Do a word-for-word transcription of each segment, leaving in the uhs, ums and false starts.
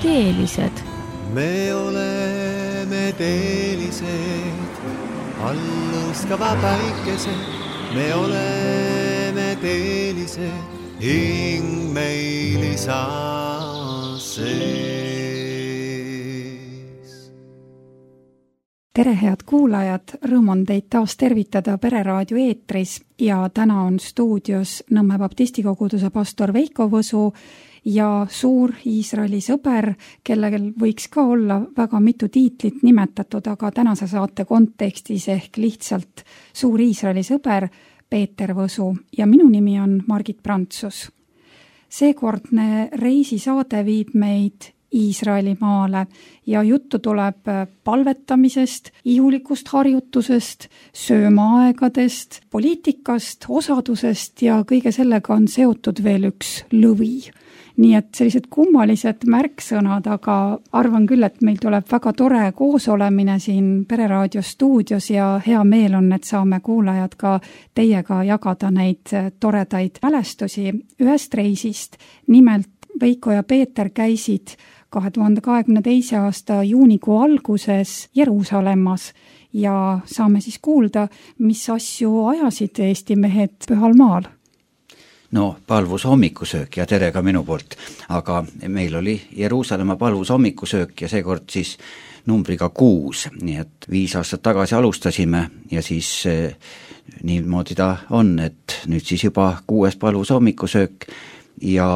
teelised. Me oleme teelised, allõskava päikesed. Me oleme teelised, hing meil isa sees. Tere, head kuulajad, rõõm on teid taas tervitada Pereraadio eetris ja täna on stuudios Nõmme baptistikoguduse pastor Veiko Võsu ja suur Iisraeli sõber, kellel võiks ka olla väga mitu tiitlit nimetatud, aga tänase saate kontekstis ehk lihtsalt suur Iisraeli sõber Peeter Võsu ja minu nimi on Margit Prantsus. Seekordne reisisaade viib meid Iisraeli maale ja juttu tuleb palvetamisest, ihulikust harjutusest, söömaaegadest, poliitikast, osadusest ja kõige sellega on seotud veel üks lõvi. Nii et sellised kummalised märksõnad, aga arvan küll, et meil tuleb väga tore koosolemine siin Pereraadio stuudios ja hea meel on, et saame kuulajad ka teiega jagada neid toredaid mälestusi ühest reisist. Nimelt Veiko ja Peeter käisid kahe tuhande kahekümne teise aasta juunikuu alguses Jeruusalemmas ja saame siis kuulda, mis asju ajasid Eesti mehed pühal maal. No, palvus hommikusöök ja tere ka minu poolt, aga meil oli Jeruusalemma palvus hommikusöök ja seekord siis numbriga kuus, nii et viis aastat tagasi alustasime ja siis eh, niimoodi ta on, et nüüd siis juba kuues palvus hommikusöök ja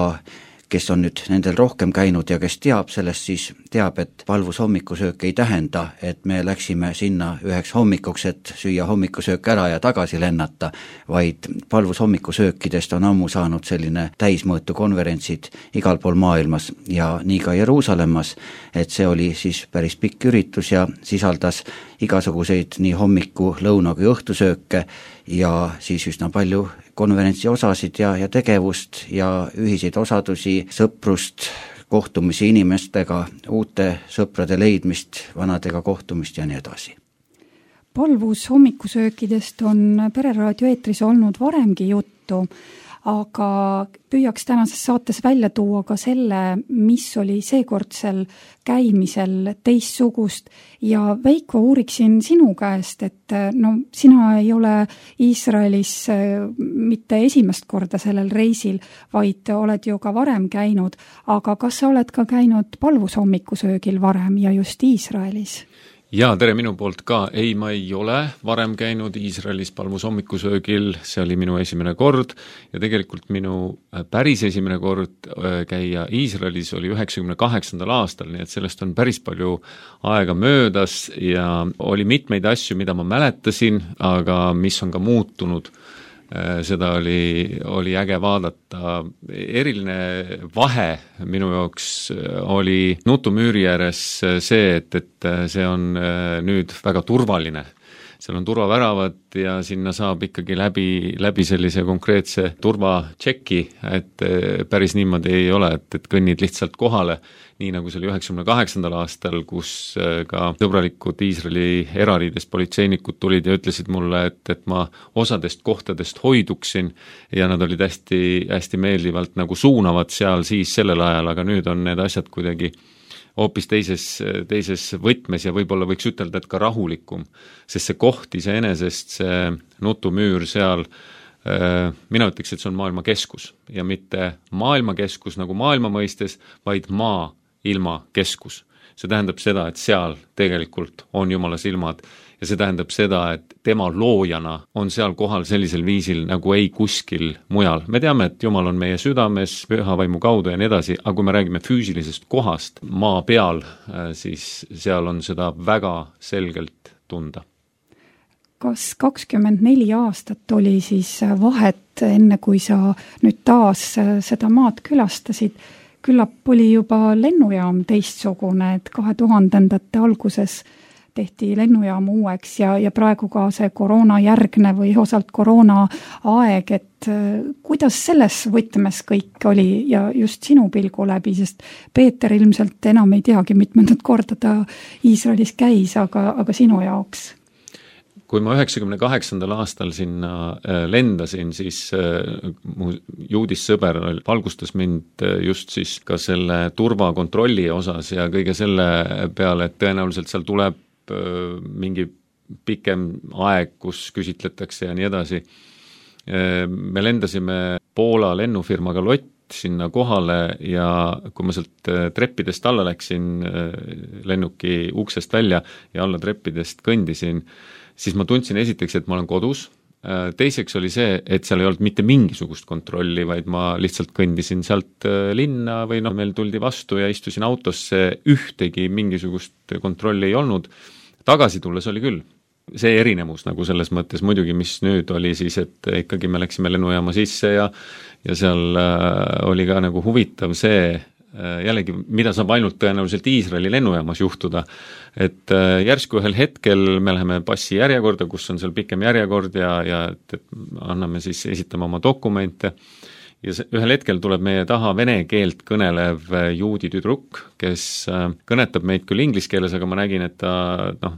kes on nüüd nendel rohkem käinud ja kes teab sellest, siis teab, et palvus hommikusöök ei tähenda, et me läksime sinna üheks hommikuks, et süüa hommikusöök ära ja tagasi lennata, vaid palvus hommikusöökidest on ammu saanud selline täismõõtu konverentsid igal pool maailmas ja nii ka Jeruusalemmas, et see oli siis päris pikk üritus ja sisaldas igasuguseid nii hommiku, lõuna kui õhtusööke ja siis üsna palju konverentsi osasid ja, ja tegevust ja ühiseid osadusi, sõprust, kohtumisi inimestega, uute sõprade leidmist, vanadega kohtumist ja nii edasi. Palvus hommikusöökidest on Pereraadio eetris olnud varemgi juttu, aga püüaks tänases saates välja tuua ka selle, mis oli seekordsel käimisel teistsugust ja Veiko, uuriksin sinu käest, et no sina ei ole Iisraelis mitte esimest korda sellel reisil, vaid oled ju ka varem käinud, aga kas sa oled ka käinud palvus hommikusöögil varem ja just Iisraelis? Jaa, tere minu poolt ka. Ei, ma ei ole varem käinud Iisraelis palvus hommikusöögil, see oli minu esimene kord ja tegelikult minu päris esimene kord käia Iisraelis oli üheksakümne kaheksandal aastal, nii et sellest on päris palju aega möödas ja oli mitmeid asju, mida ma mäletasin, aga mis on ka muutunud. Seda oli, oli äge vaadata. Eriline vahe minu jaoks oli nutumüüri ääres see, et, et see on nüüd väga turvaline. Seal on turvaväravad ja sinna saab ikkagi läbi, läbi sellise konkreetse turvatšeki, et päris niimoodi ei ole, et, et kõnnid lihtsalt kohale, nii nagu see oli üheksakümne kaheksandal aastal, kus ka sõbralikud Iisraeli erariides politseinikud tulid ja ütlesid mulle, et, et ma osadest kohtadest hoiduksin ja nad olid hästi, hästi meeldivalt nagu suunavad seal siis sellel ajal, aga nüüd on need asjad kuidagi hoopis teises, teises võtmes ja võib-olla võiks ütelda, et ka rahulikum, sest see koht iseenesest, see nutumüür seal, mina ütleks, et see on maailma keskus ja mitte maailma keskus nagu maailma mõistes, vaid maa ilma keskus. See tähendab seda, et seal tegelikult on Jumala silmad ja see tähendab seda, et tema loojana on seal kohal sellisel viisil nagu ei kuskil mujal. Me teame, et Jumal on meie südames, püha vaimu kaudu ja nii edasi, aga kui me räägime füüsilisest kohast maa peal, siis seal on seda väga selgelt tunda. Kas kakskümmend neli aastat oli siis vahet enne, kui sa nüüd taas seda maad külastasid? Küllap oli juba lennujaam teistsugune, et kahe tuhandendate alguses tehti lennujaam uueks ja, ja praegu ka see koroona järgne või osalt koroona aeg, et kuidas selles võtmes kõik oli ja just sinu pilgu läbi, sest Peeter ilmselt enam ei teagi mitmendat korda ta Iisraelis käis, aga, aga sinu jaoks? kui ma üheksakümne kaheksandal aastal sinna lendasin, siis mu juudis sõber valgustas mind just siis ka selle turvakontrolli osas ja kõige selle peale, et tõenäoliselt seal tuleb mingi pikem aeg, kus küsitletakse ja nii edasi. Me lendasime Poola lennufirmaga Lott sinna kohale ja kui ma sealt treppidest alla läksin lennuki uksest välja ja alla treppidest kõndisin, siis ma tundsin esiteks, et ma olen kodus. Teiseks oli see, et seal ei olnud mitte mingisugust kontrolli, vaid ma lihtsalt kõndisin sealt linna või noh, meil tuldi vastu ja istusin autosse, ühtegi mingisugust kontrolli ei olnud. Tagasi tulles oli küll. See erinevus nagu selles mõttes muidugi, mis nüüd oli siis, et ikkagi me läksime lennujaama sisse ja, ja seal oli ka nagu huvitav see, jällegi, mida saab ainult tõenäoliselt Iisraeli lennujaamas juhtuda, et järsku ühel hetkel me läheme passi järjekorda, kus on seal pikem järjekord ja, ja et, et anname siis, esitame oma dokumente ja see, ühel hetkel tuleb meie taha vene keelt kõnelev juudi tüdruk, kes kõnetab meid küll inglise keeles, aga ma nägin, et ta, noh,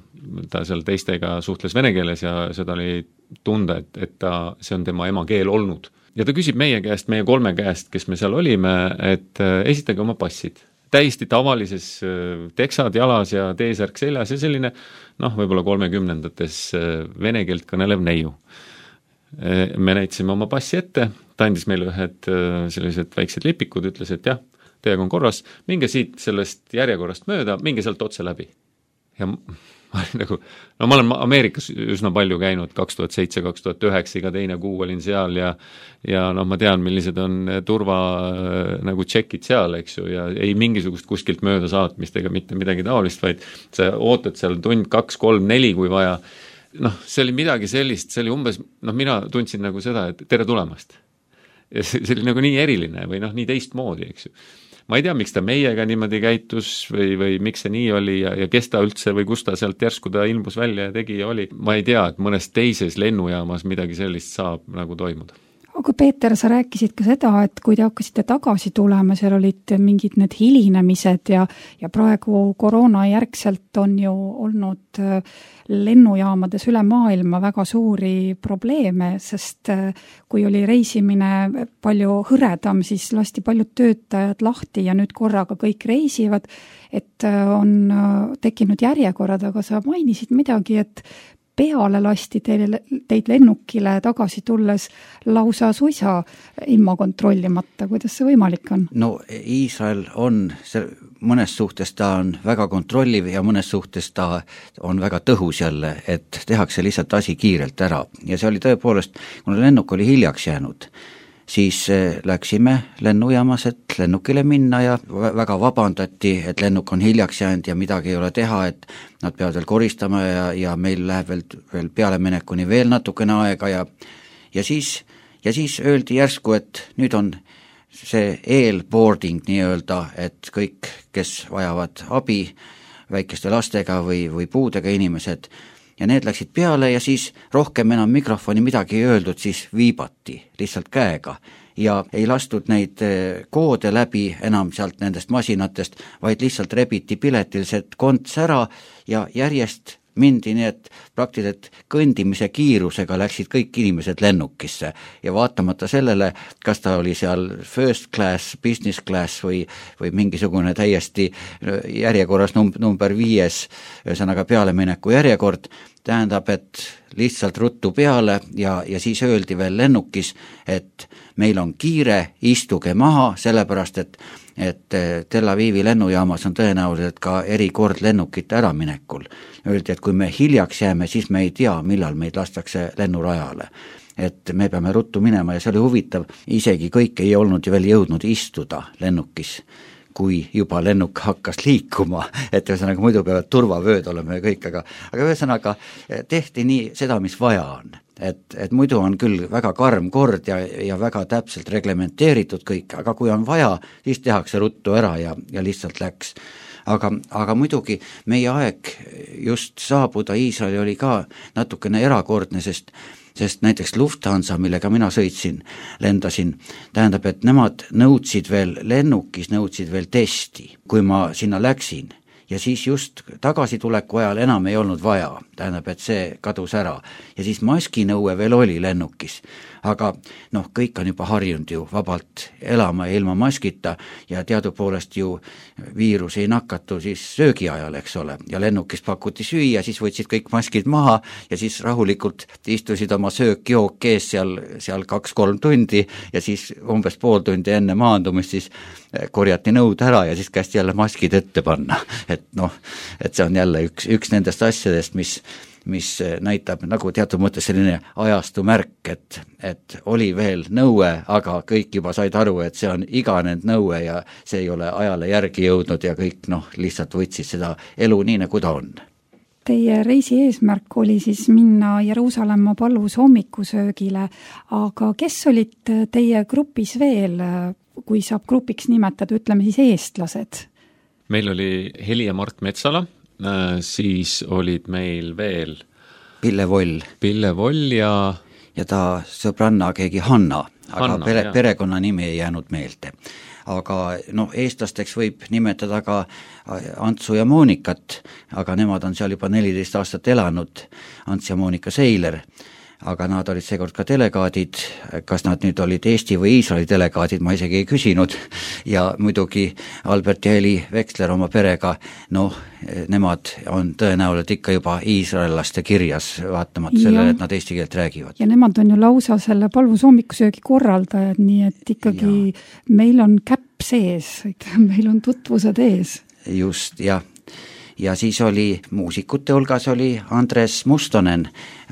ta seal teistega suhtles vene keeles ja seda oli tunda, et, et ta, see on tema emakeel olnud. Ja ta küsib meie käest, meie kolme käest, kes me seal olime, et esitage oma passid. Täiesti tavalises teksad jalas ja teesärk seljas ja selline, noh, võib-olla kolmekümnendates vene keelt kõnelev neiu. Me näitasime oma passi ette, ta andis meile ühed sellised väiksed lipikud, ütles, et jah, teiega on korras, minge siit sellest järjekorrast mööda, minge sealt otse läbi. Ja ma olin nagu, no ma olen Ameerikas üsna palju käinud, kaks tuhat seitse, kaks tuhat üheksa, iga teine kuu olin seal ja ja noh, ma tean, millised on turva nagu tšekid seal, eks ju, ja ei mingisugust kuskilt mööda saatmist ega mitte midagi taolist, vaid sa ootad seal tund, kaks, kolm, neli, kui vaja. Noh, see oli midagi sellist, see oli umbes, noh, mina tundsin nagu seda, et tere tulemast. Ja see oli nagu nii eriline või noh, nii teistmoodi, eks ju. Ma ei tea, miks ta meiega niimoodi käitus või, või miks see nii oli ja, ja kes ta üldse või kus ta sealt järsku ta ilmus välja ja tegi ja oli. Ma ei tea, et mõnes teises lennujaamas midagi sellist saab nagu toimuda. Aga Peeter, sa rääkisid ka seda, et kui te hakkasite tagasi tulema, seal olid mingid need hilinemised ja, ja praegu koroona järgselt on ju olnud lennujaamades üle maailma väga suuri probleeme, sest kui oli reisimine palju hõredam, siis lasti paljud töötajad lahti ja nüüd korraga kõik reisivad, et on tekkinud järjekorrad, aga sa mainisid midagi, et peale lasti teile, teid lennukile tagasi tulles lausa suisa ilma kontrollimata. Kuidas see võimalik on? No Iisrael on, see, mõnes suhtes ta on väga kontrolliv ja mõnes suhtes ta on väga tõhus jälle, et tehakse lihtsalt asi kiirelt ära. Ja see oli tõepoolest, kuna lennuk oli hiljaks jäänud, siis läksime lennujaamas, et lennukile minna ja väga vabandati, et lennuk on hiljaks jäänud ja midagi ei ole teha, et nad peavad veel koristama ja, ja meil läheb veel, veel pealeminekuni veel natukene aega ja, ja, siis, ja siis öeldi järsku, et nüüd on see eelboarding nii-öelda, et kõik, kes vajavad abi väikeste lastega või, või puudega inimesed, ja need läksid peale ja siis rohkem enam mikrofoni midagi ei öeldud, siis viibati lihtsalt käega ja ei lastud neid koode läbi enam sealt nendest masinatest, vaid lihtsalt rebiti piletilised konts ära ja järjest mindi nii, et praktiliselt kõndimise kiirusega läksid kõik inimesed lennukisse ja vaatamata sellele, kas ta oli seal first class, business class või, või mingisugune täiesti järjekorras num- number viies, ühesõnaga pealemineku järjekord, tähendab, et lihtsalt ruttu peale ja, ja siis öeldi veel lennukis, et meil on kiire, istuge maha, sellepärast, et et Tel Avivi lennujaamas on tõenäoliselt ka erikord lennukite äraminekul. Öeldi, et kui me hiljaks jääme, siis me ei tea, millal meid lastakse lennurajale. Et me peame ruttu minema ja see oli huvitav, isegi kõik ei olnud ju veel jõudnud istuda lennukis, kui juba lennuk hakkas liikuma, et ühesõnaga muidu peavad turvavööd olema ja kõik, aga, aga ühesõnaga tehti nii seda, mis vaja on. Et, et muidu on küll väga karm kord ja, ja väga täpselt reglementeeritud kõik, aga kui on vaja, siis tehakse ruttu ära ja, ja lihtsalt läks. Aga, aga muidugi meie aeg just saabuda Iisraeli oli ka natukene erakordne, sest sest näiteks Lufthansa, millega mina sõitsin, lendasin, tähendab, et nemad nõudsid veel lennukis, nõudsid veel testi, kui ma sinna läksin. ja siis just tagasituleku ajal enam ei olnud vaja, tähendab, et see kadus ära. Ja siis maskinõue veel oli lennukis, aga noh, kõik on juba harjunud ju vabalt elama ja ilma maskita ja teadupoolest ju viirus ei nakatu siis söögi ajal, eks ole, ja lennukis pakuti süüa, siis võtsid kõik maskid maha ja siis rahulikult istusid oma söök-jook ees seal, seal kaks-kolm tundi ja siis umbes pool tundi enne maandumist siis korjati nõud ära ja siis kästi jälle maskid ette panna. Et noh, et see on jälle üks, üks nendest asjadest, mis, mis näitab nagu teatud mõttes selline ajastu märk, et, et oli veel nõue, aga kõik juba said aru, et see on iganenud nõue ja see ei ole ajale järgi jõudnud ja kõik noh, lihtsalt võtsid seda elu nii, nagu ta on. Teie reisi eesmärk oli siis minna Jeruusalemma palvus hommikusöögile, aga kes olid teie grupis veel, kui saab grupiks nimetada, ütleme siis eestlased? Meil oli Heli ja Mart Metsala, siis olid meil veel Pille Voll. Pille Voll ja ja ta sõbranna keegi Hanna, aga Hanna, pere, perekonna nimi ei jäänud meelde. Aga noh, eestlasteks võib nimetada ka Antsu ja Moonikat, aga nemad on seal juba neliteist aastat elanud, Ants ja Moonika Seiler, aga nad olid seekord ka delegaadid, kas nad nüüd olid Eesti või Iisraeli delegaadid, ma isegi ei küsinud, ja muidugi Albert ja Heli Veksler oma perega, noh, nemad on tõenäoliselt ikka juba iisraellaste kirjas, vaatamata sellele, et nad eesti keelt räägivad. Ja nemad on ju lausa selle palvus hommikusöögi korraldajad, nii et ikkagi ja. Meil on käpp sees, meil on tutvused ees. Just, jah. Ja siis oli muusikute hulgas oli Andres Mustonen,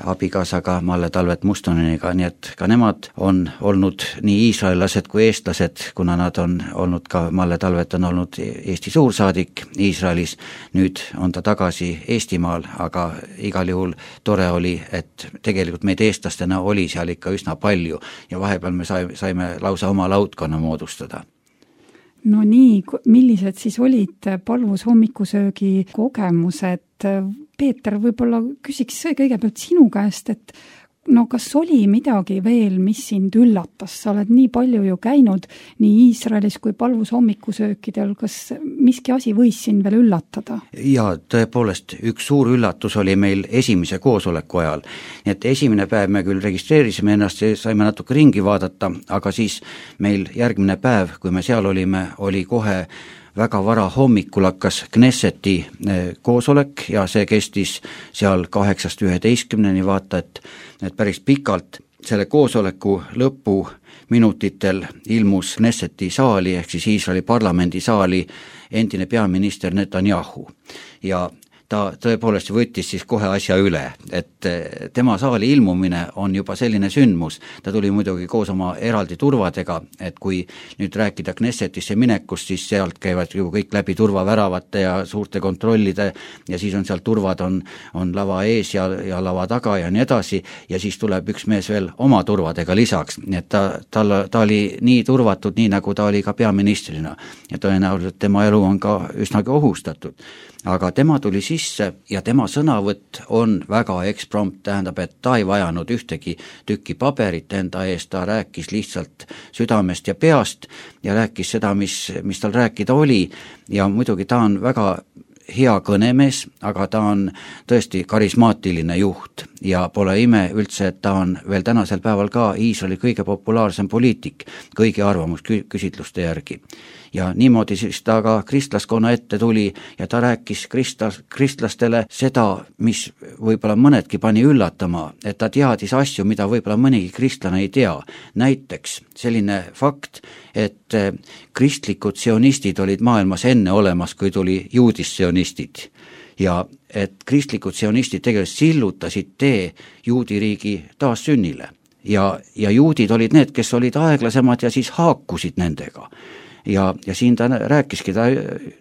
abikaasaga Malle Talvet Mustoneniga, nii et ka nemad on olnud nii iisraellased kui eestlased, kuna nad on olnud ka, Malle Talvet on olnud Eesti suursaadik Iisraelis, nüüd on ta tagasi Eestimaal, aga igal juhul tore oli, et tegelikult meid eestlastena oli seal ikka üsna palju ja vahepeal me saime lausa oma laudkonna moodustada. No nii, millised siis olid palvus hommikusöögi kogemused? Peeter, võib-olla küsiks kõigepealt sinu käest, et no kas oli midagi veel, mis sind üllatas? Sa oled nii palju ju käinud nii Iisraelis kui palvus hommikusöökidel, kas miski asi võis sind veel üllatada? Ja tõepoolest, üks suur üllatus oli meil esimese koosoleku ajal. Nii et esimene päev me küll registreerisime ennast ja saime natuke ringi vaadata, aga siis meil järgmine päev, kui me seal olime, oli kohe väga vara hommikul hakkas Knesseti koosolek ja see kestis seal kaheksast üheteistkümneni, vaata, et, et päris pikalt. Selle koosoleku lõpu minutitel ilmus Knesseti saali ehk siis Iisraeli parlamendi saali endine peaminister Netanyahu ja ta tõepoolest võttis siis kohe asja üle, et tema saali ilmumine on juba selline sündmus. Ta tuli muidugi koos oma eraldi turvadega, et kui nüüd rääkida Knessetisse minekust, siis sealt käivad ju kõik läbi turvaväravate ja suurte kontrollide ja siis on seal turvad on, on lava ees ja, ja lava taga ja nii edasi ja siis tuleb üks mees veel oma turvadega lisaks, nii et ta, ta, ta oli nii turvatud, nii nagu ta oli ka peaministrina ja tõenäoliselt tema elu on ka üsnagi ohustatud. Aga tema tuli sisse ja tema sõnavõtt on väga eksprompt, tähendab, et ta ei vajanud ühtegi tükki paberit enda eest, ta rääkis lihtsalt südamest ja peast ja rääkis seda, mis, mis tal rääkida oli ja muidugi ta on väga hea kõnemees, aga ta on tõesti karismaatiline juht ja pole ime üldse, et ta on veel tänasel päeval ka Iisraeli kõige populaarsem poliitik kõigi arvamusküsitluste järgi. Ja niimoodi siis ta ka kristlaskonna ette tuli ja ta rääkis kristlas, kristlastele seda, mis võib-olla mõnedki pani üllatama, et ta teadis asju, mida võib-olla mõnigi kristlane ei tea. Näiteks selline fakt, et kristlikud sionistid olid maailmas enne olemas, kui tuli juudissionistid ja et kristlikud sionistid tegelikult sillutasid tee juudiriigi taassünnile ja, ja juudid olid need, kes olid aeglasemad ja siis haakusid nendega. Ja, ja siin ta rääkiski, ta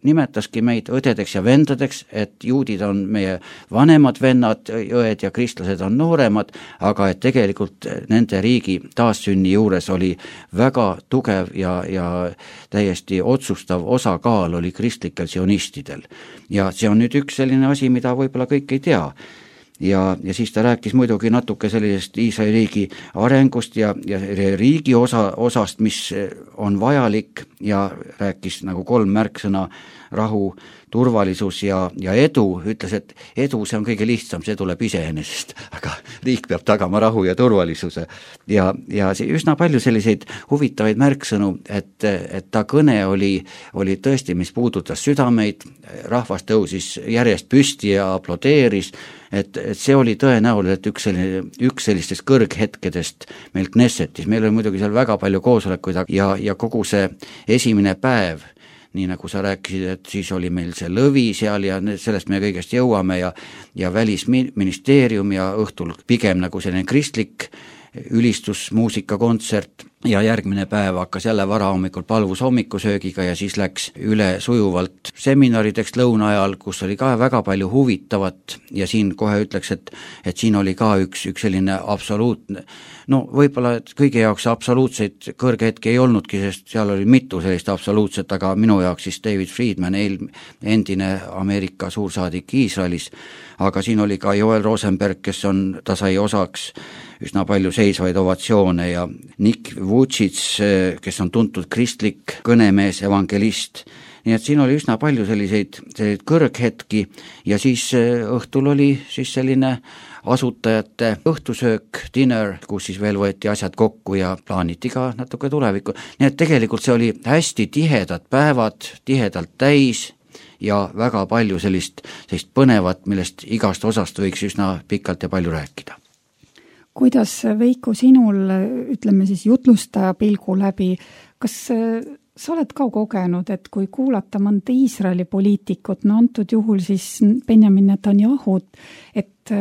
nimetaski meid õdedeks ja vendadeks, et juudid on meie vanemad vennad, õed ja kristlased on nooremad, aga et tegelikult nende riigi taassünni juures oli väga tugev ja, ja täiesti otsustav osakaal oli kristlikel sionistidel. Ja see on nüüd üks selline asi, mida võib-olla kõik ei tea. ja, ja siis ta rääkis muidugi natuke sellisest Iisraeli riigi arengust ja, ja riigi osa, osast, mis on vajalik ja rääkis nagu kolm märksõna, rahu, turvalisus ja, ja edu, ütles, et edu, see on kõige lihtsam, see tuleb iseenesest, aga riik peab tagama rahu ja turvalisuse. Ja, ja üsna palju selliseid huvitavaid märksõnu, et, et ta kõne oli, oli tõesti, mis puudutas südameid, rahvas tõusis järjest püsti ja aplodeeris, et, et see oli tõenäoliselt üks, selline, üks sellistest kõrghetkedest meil Knessetis, meil oli muidugi seal väga palju koosolekuid ja, ja kogu see esimene päev, nii nagu sa rääkisid, et siis oli meil see lõvi seal ja sellest me kõigest jõuame ja, ja välisministeerium ja õhtul pigem nagu selline kristlik ülistusmuusikakontsert ja järgmine päev hakkas jälle varahommikul palvus hommikusöögiga ja siis läks üle sujuvalt seminarideks lõuna ajal, kus oli ka väga palju huvitavat ja siin kohe ütleks, et, et siin oli ka üks, üks selline absoluutne, no võib-olla kõige jaoks absoluutseid kõrgehetki ei olnudki, sest seal oli mitu sellist absoluutset, aga minu jaoks siis David Friedman, endine Ameerika suursaadik Iisraelis, aga siin oli ka Joel Rosenberg, kes on, ta sai osaks üsna palju seisvaid ovatsioone ja Nick Vucits, kes on tuntud kristlik kõnemees, evangelist, nii et siin oli üsna palju selliseid, selliseid kõrghetki ja siis õhtul oli siis selline asutajate õhtusöök, dinner, kus siis veel võeti asjad kokku ja plaaniti ka natuke tulevikku, nii et tegelikult see oli hästi tihedad päevad, tihedalt täis ja väga palju sellist, sellist põnevat, millest igast osast võiks üsna pikalt ja palju rääkida. Kuidas, Veiko, sinul, ütleme siis jutlustaja pilgu läbi, kas sa oled ka kogenud, et kui kuulata mõnda Iisraeli poliitikut, no antud juhul siis Benjamin Netanyahut, et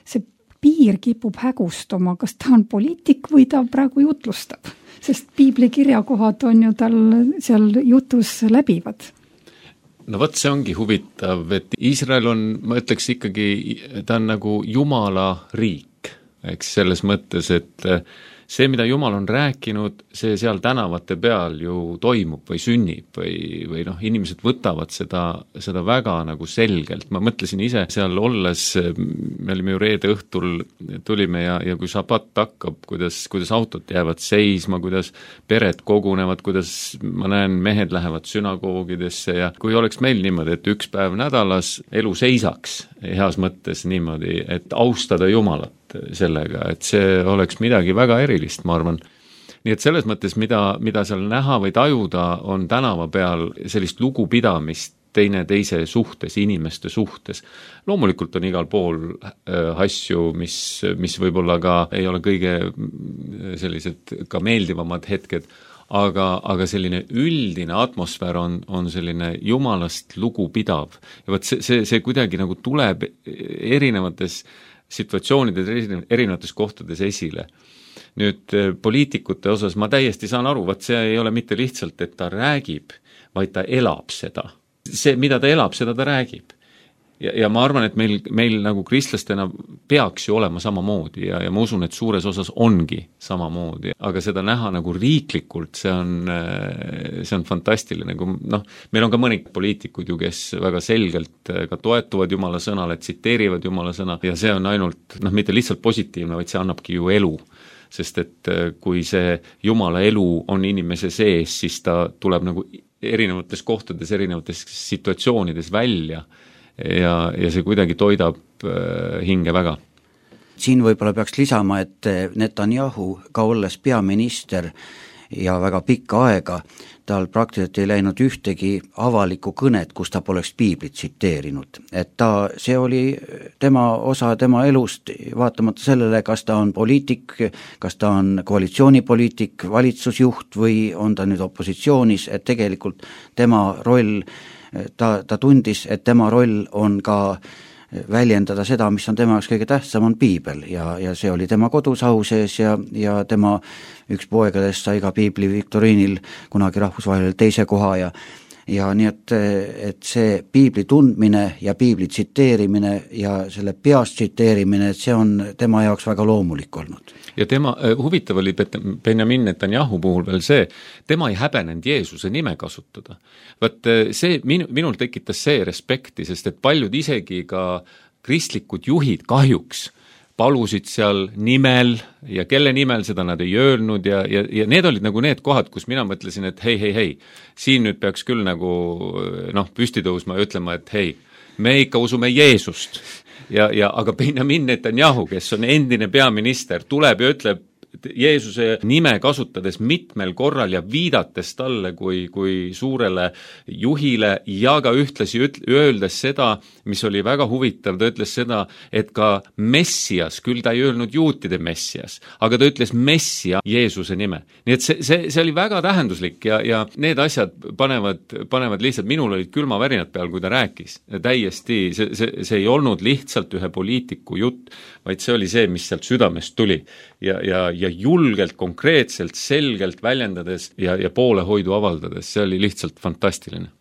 see piir kipub hägustuma, kas ta on poliitik või ta praegu jutlustab? Sest piibli kirjakohad on ju tal seal jutus läbivad. No võt, see ongi huvitav, et Iisrael on, ma ütleks ikkagi, ta on nagu Jumala riik. Eks selles mõttes, et see, mida Jumal on rääkinud, see seal tänavate peal ju toimub või sünnib või, või noh, inimesed võtavad seda, seda väga nagu selgelt. Ma mõtlesin ise seal olles, me olime ju reede õhtul, tulime ja, ja kui šabat hakkab, kuidas, kuidas autod jäävad seisma, kuidas pered kogunevad, kuidas ma näen, mehed lähevad sünagoogidesse ja kui oleks meil niimoodi, et üks päev nädalas elu seisaks heas mõttes niimoodi, et austada Jumalat sellega, et see oleks midagi väga erilist, ma arvan. Nii et selles mõttes, mida, mida seal näha või tajuda, on tänava peal sellist lugupidamist teine teise suhtes, inimeste suhtes. Loomulikult on igal pool äh, asju, mis, mis võib-olla ka ei ole kõige sellised ka meeldivamad hetked, aga, aga selline üldine atmosfäär on, on selline Jumalast lugupidav. Ja võt see, see, see kuidagi nagu tuleb erinevates situatsioonides, erinevates kohtades esile. Nüüd poliitikute osas ma täiesti saan aru, vaat see ei ole mitte lihtsalt, et ta räägib, vaid ta elab seda. See, mida ta elab, seda ta räägib. Ja, ja ma arvan, et meil, meil nagu kristlastena peaks ju olema samamoodi ja, ja ma usun, et suures osas ongi samamoodi, aga seda näha nagu riiklikult, see on, see on fantastiline, nagu noh, meil on ka mõni poliitikud ju, kes väga selgelt ka toetuvad Jumala sõnale, tsiteerivad Jumala sõna ja see on ainult, noh, mitte lihtsalt positiivne, vaid see annabki ju elu. Sest et kui see Jumala elu on inimese sees, siis ta tuleb nagu erinevates kohtades, erinevates situatsioonides välja ja, ja see kuidagi toidab hinge väga. Siin võib-olla peaks lisama, et Netanyahu ka olles peaminister ja väga pikka aega, tal praktiliselt ei läinud ühtegi avalikku kõnet, kus ta poleks piiblit tsiteerinud. Et ta, see oli tema osa tema elust, vaatamata sellele, kas ta on poliitik, kas ta on koalitsioonipoliitik, valitsusjuht või on ta nüüd opositsioonis, et tegelikult tema roll, ta, ta tundis, et tema roll on ka väljendada seda, mis on tema jaoks kõige tähtsam, on piibel ja, ja see oli tema kodus au sees ja, ja tema üks poegadest sai ka piibli viktoriinil kunagi rahvusvahelisel teise koha ja ja nii et, et see piibli tundmine ja piibli tsiteerimine ja selle peast tsiteerimine, et see on tema jaoks väga loomulik olnud. Ja tema, huvitav oli Benjamin Netanyahu puhul veel see, tema ei häbenenud Jeesuse nime kasutada. Vaat see, minu, minul tekitas see respekti, sest et paljud isegi ka kristlikud juhid kahjuks palusid seal nimel ja kelle nimel seda nad ei öelnud ja, ja, ja need olid nagu need kohad, kus mina mõtlesin, et hei, hei, hei, siin nüüd peaks küll nagu noh, püsti tõusma ja ütlema, et hei, me ikka usume Jeesust ja, ja aga Benjamin Netanyahu, kes on endine peaminister, tuleb ja ütleb Jeesuse nime kasutades mitmel korral ja viidates talle kui, kui suurele juhile ja ka ühtlasi üt- öeldes seda, mis oli väga huvitav, ta ütles seda, et ka Messias, küll ta ei öelnud juutide Messias, aga ta ütles Messia Jeesuse nime. Nii et see, see, see oli väga tähenduslik ja, ja need asjad panevad, panevad lihtsalt, minul olid külmavärinad peal, kui ta rääkis. Täiesti, see, see, see ei olnud lihtsalt ühe poliitiku jutt, vaid see oli see, mis sealt südamest tuli ja, ja, ja julgelt, konkreetselt, selgelt väljendades ja, ja poolehoidu avaldades, see oli lihtsalt fantastiline.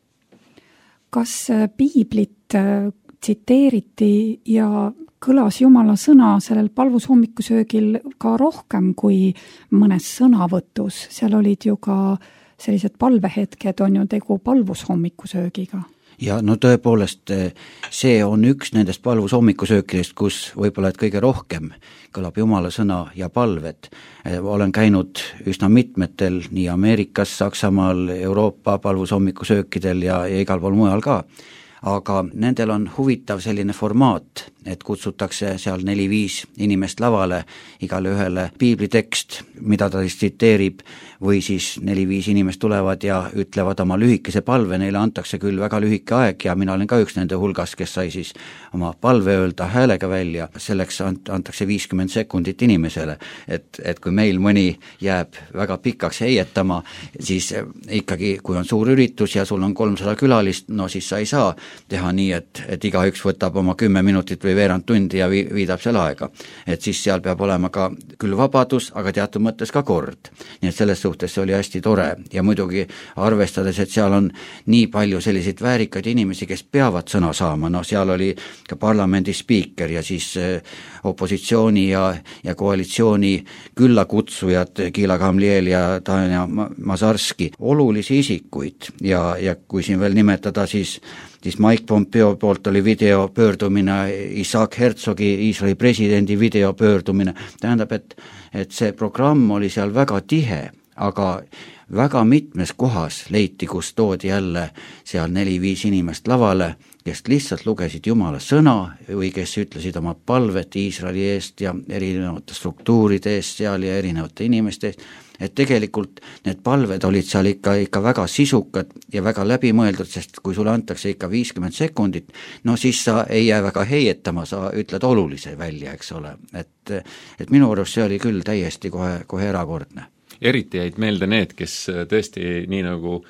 Kas piiblit tsiteeriti ja kõlas Jumala sõna sellel palvushommikusöögil ka rohkem kui mõnes sõnavõtus? Seal olid ju ka sellised palvehetked, on ju tegu palvushommikusöögiga. Ja no tõepoolest, see on üks nendest palvushommikusöökidest, kus võib-olla et kõige rohkem kõlab Jumala sõna ja palved. Olen käinud üsna mitmetel nii Ameerikas, Saksamaal, Euroopa palvushommikusöökidel ja, ja igal pool mujal ka. Aga nendel on huvitav selline formaat, et kutsutakse seal neli-viis inimest lavale, igale ühele piiblitekst, mida ta siis tsiteerib, või siis neli-viis inimest tulevad ja ütlevad oma lühikese palve, neile antakse küll väga lühike aeg ja mina olen ka üks nende hulgas, kes sai siis oma palve öelda häälega välja, selleks antakse viiskümmend sekundit inimesele, et, et kui meil mõni jääb väga pikaks heietama, siis ikkagi, kui on suur üritus ja sul on kolmsada külalist, no siis sa ei saa teha nii, et, et igaüks võtab oma kümme minutit või veerand tundi ja viidab selle aega. Et siis seal peab olema ka küll vabadus, aga teatud mõttes ka kord. Nii et selles suhtes see oli hästi tore ja muidugi arvestades, et seal on nii palju selliseid väärikaid inimesi, kes peavad sõna saama, no seal oli ka parlamendi spiiker ja siis opositsiooni ja, ja koalitsiooni küllakutsujad Gila Gamliel ja Tanja Mazarski, olulisi isikuid ja, ja kui siin veel nimetada, siis siis Mike Pompeo poolt oli videopöördumine, Isaac Herzogi, Iisraeli presidendi videopöördumine, tähendab, et, et see programm oli seal väga tihe, aga väga mitmes kohas leiti, kus toodi jälle seal neli-viis inimest lavale, kes lihtsalt lugesid Jumala sõna või kes ütlesid oma palvet Iisraeli eest ja erinevate struktuuride eest seal ja erinevate inimeste eest, et tegelikult need palved olid seal ikka, ikka väga sisukad ja väga läbimõeldud, sest kui sulle antakse ikka viiskümmend sekundit, no siis sa ei jää väga heietama, sa ütled olulise välja, eks ole. Et, et minu arust see oli küll täiesti kohe, kohe erakordne. Eriti jäid meelde need, kes tõesti nii nagu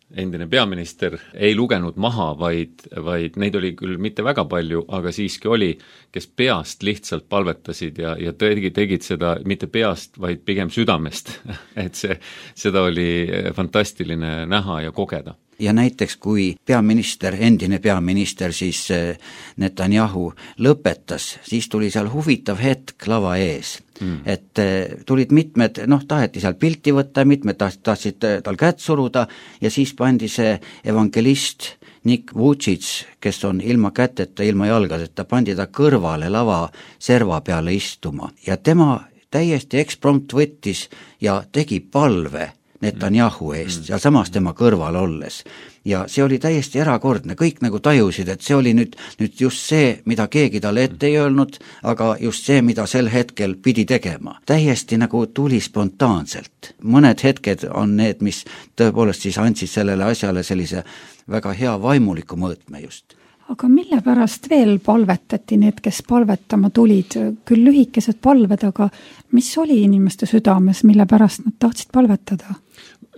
endine peaminister ei lugenud maha, vaid, vaid neid oli küll mitte väga palju, aga siiski oli, kes peast lihtsalt palvetasid ja, ja tegid, tegid seda mitte peast, vaid pigem südamest. Et see, seda oli fantastiline näha ja kogeda. Ja näiteks kui peaminister, endine peaminister siis Netanyahu lõpetas, siis tuli seal huvitav hetk lava ees. Mm. Et tulid mitmed, noh, taheti seal pilti võtta, mitmed tahtsid tal kätt suruda ja siis pandi see evangelist Nick Vucic, kes on ilma käteta, ilma jalgadeta, pandi ta kõrvale lava serva peale istuma ja tema täiesti eksprompt võttis ja tegi palve Netanyahu eest ja samas tema kõrval olles. Ja see oli täiesti erakordne, kõik nagu tajusid, et see oli nüüd, nüüd just see, mida keegi talle ette ei öelnud, aga just see, mida sel hetkel pidi tegema. Täiesti nagu tuli spontaanselt. Mõned hetked on need, mis tõepoolest siis andsid sellele asjale sellise väga hea vaimuliku mõõtme just. Aga mille pärast veel palvetati need, kes palvetama tulid? Küll lühikesed palved, aga mis oli inimeste südames, mille pärast nad tahtsid palvetada?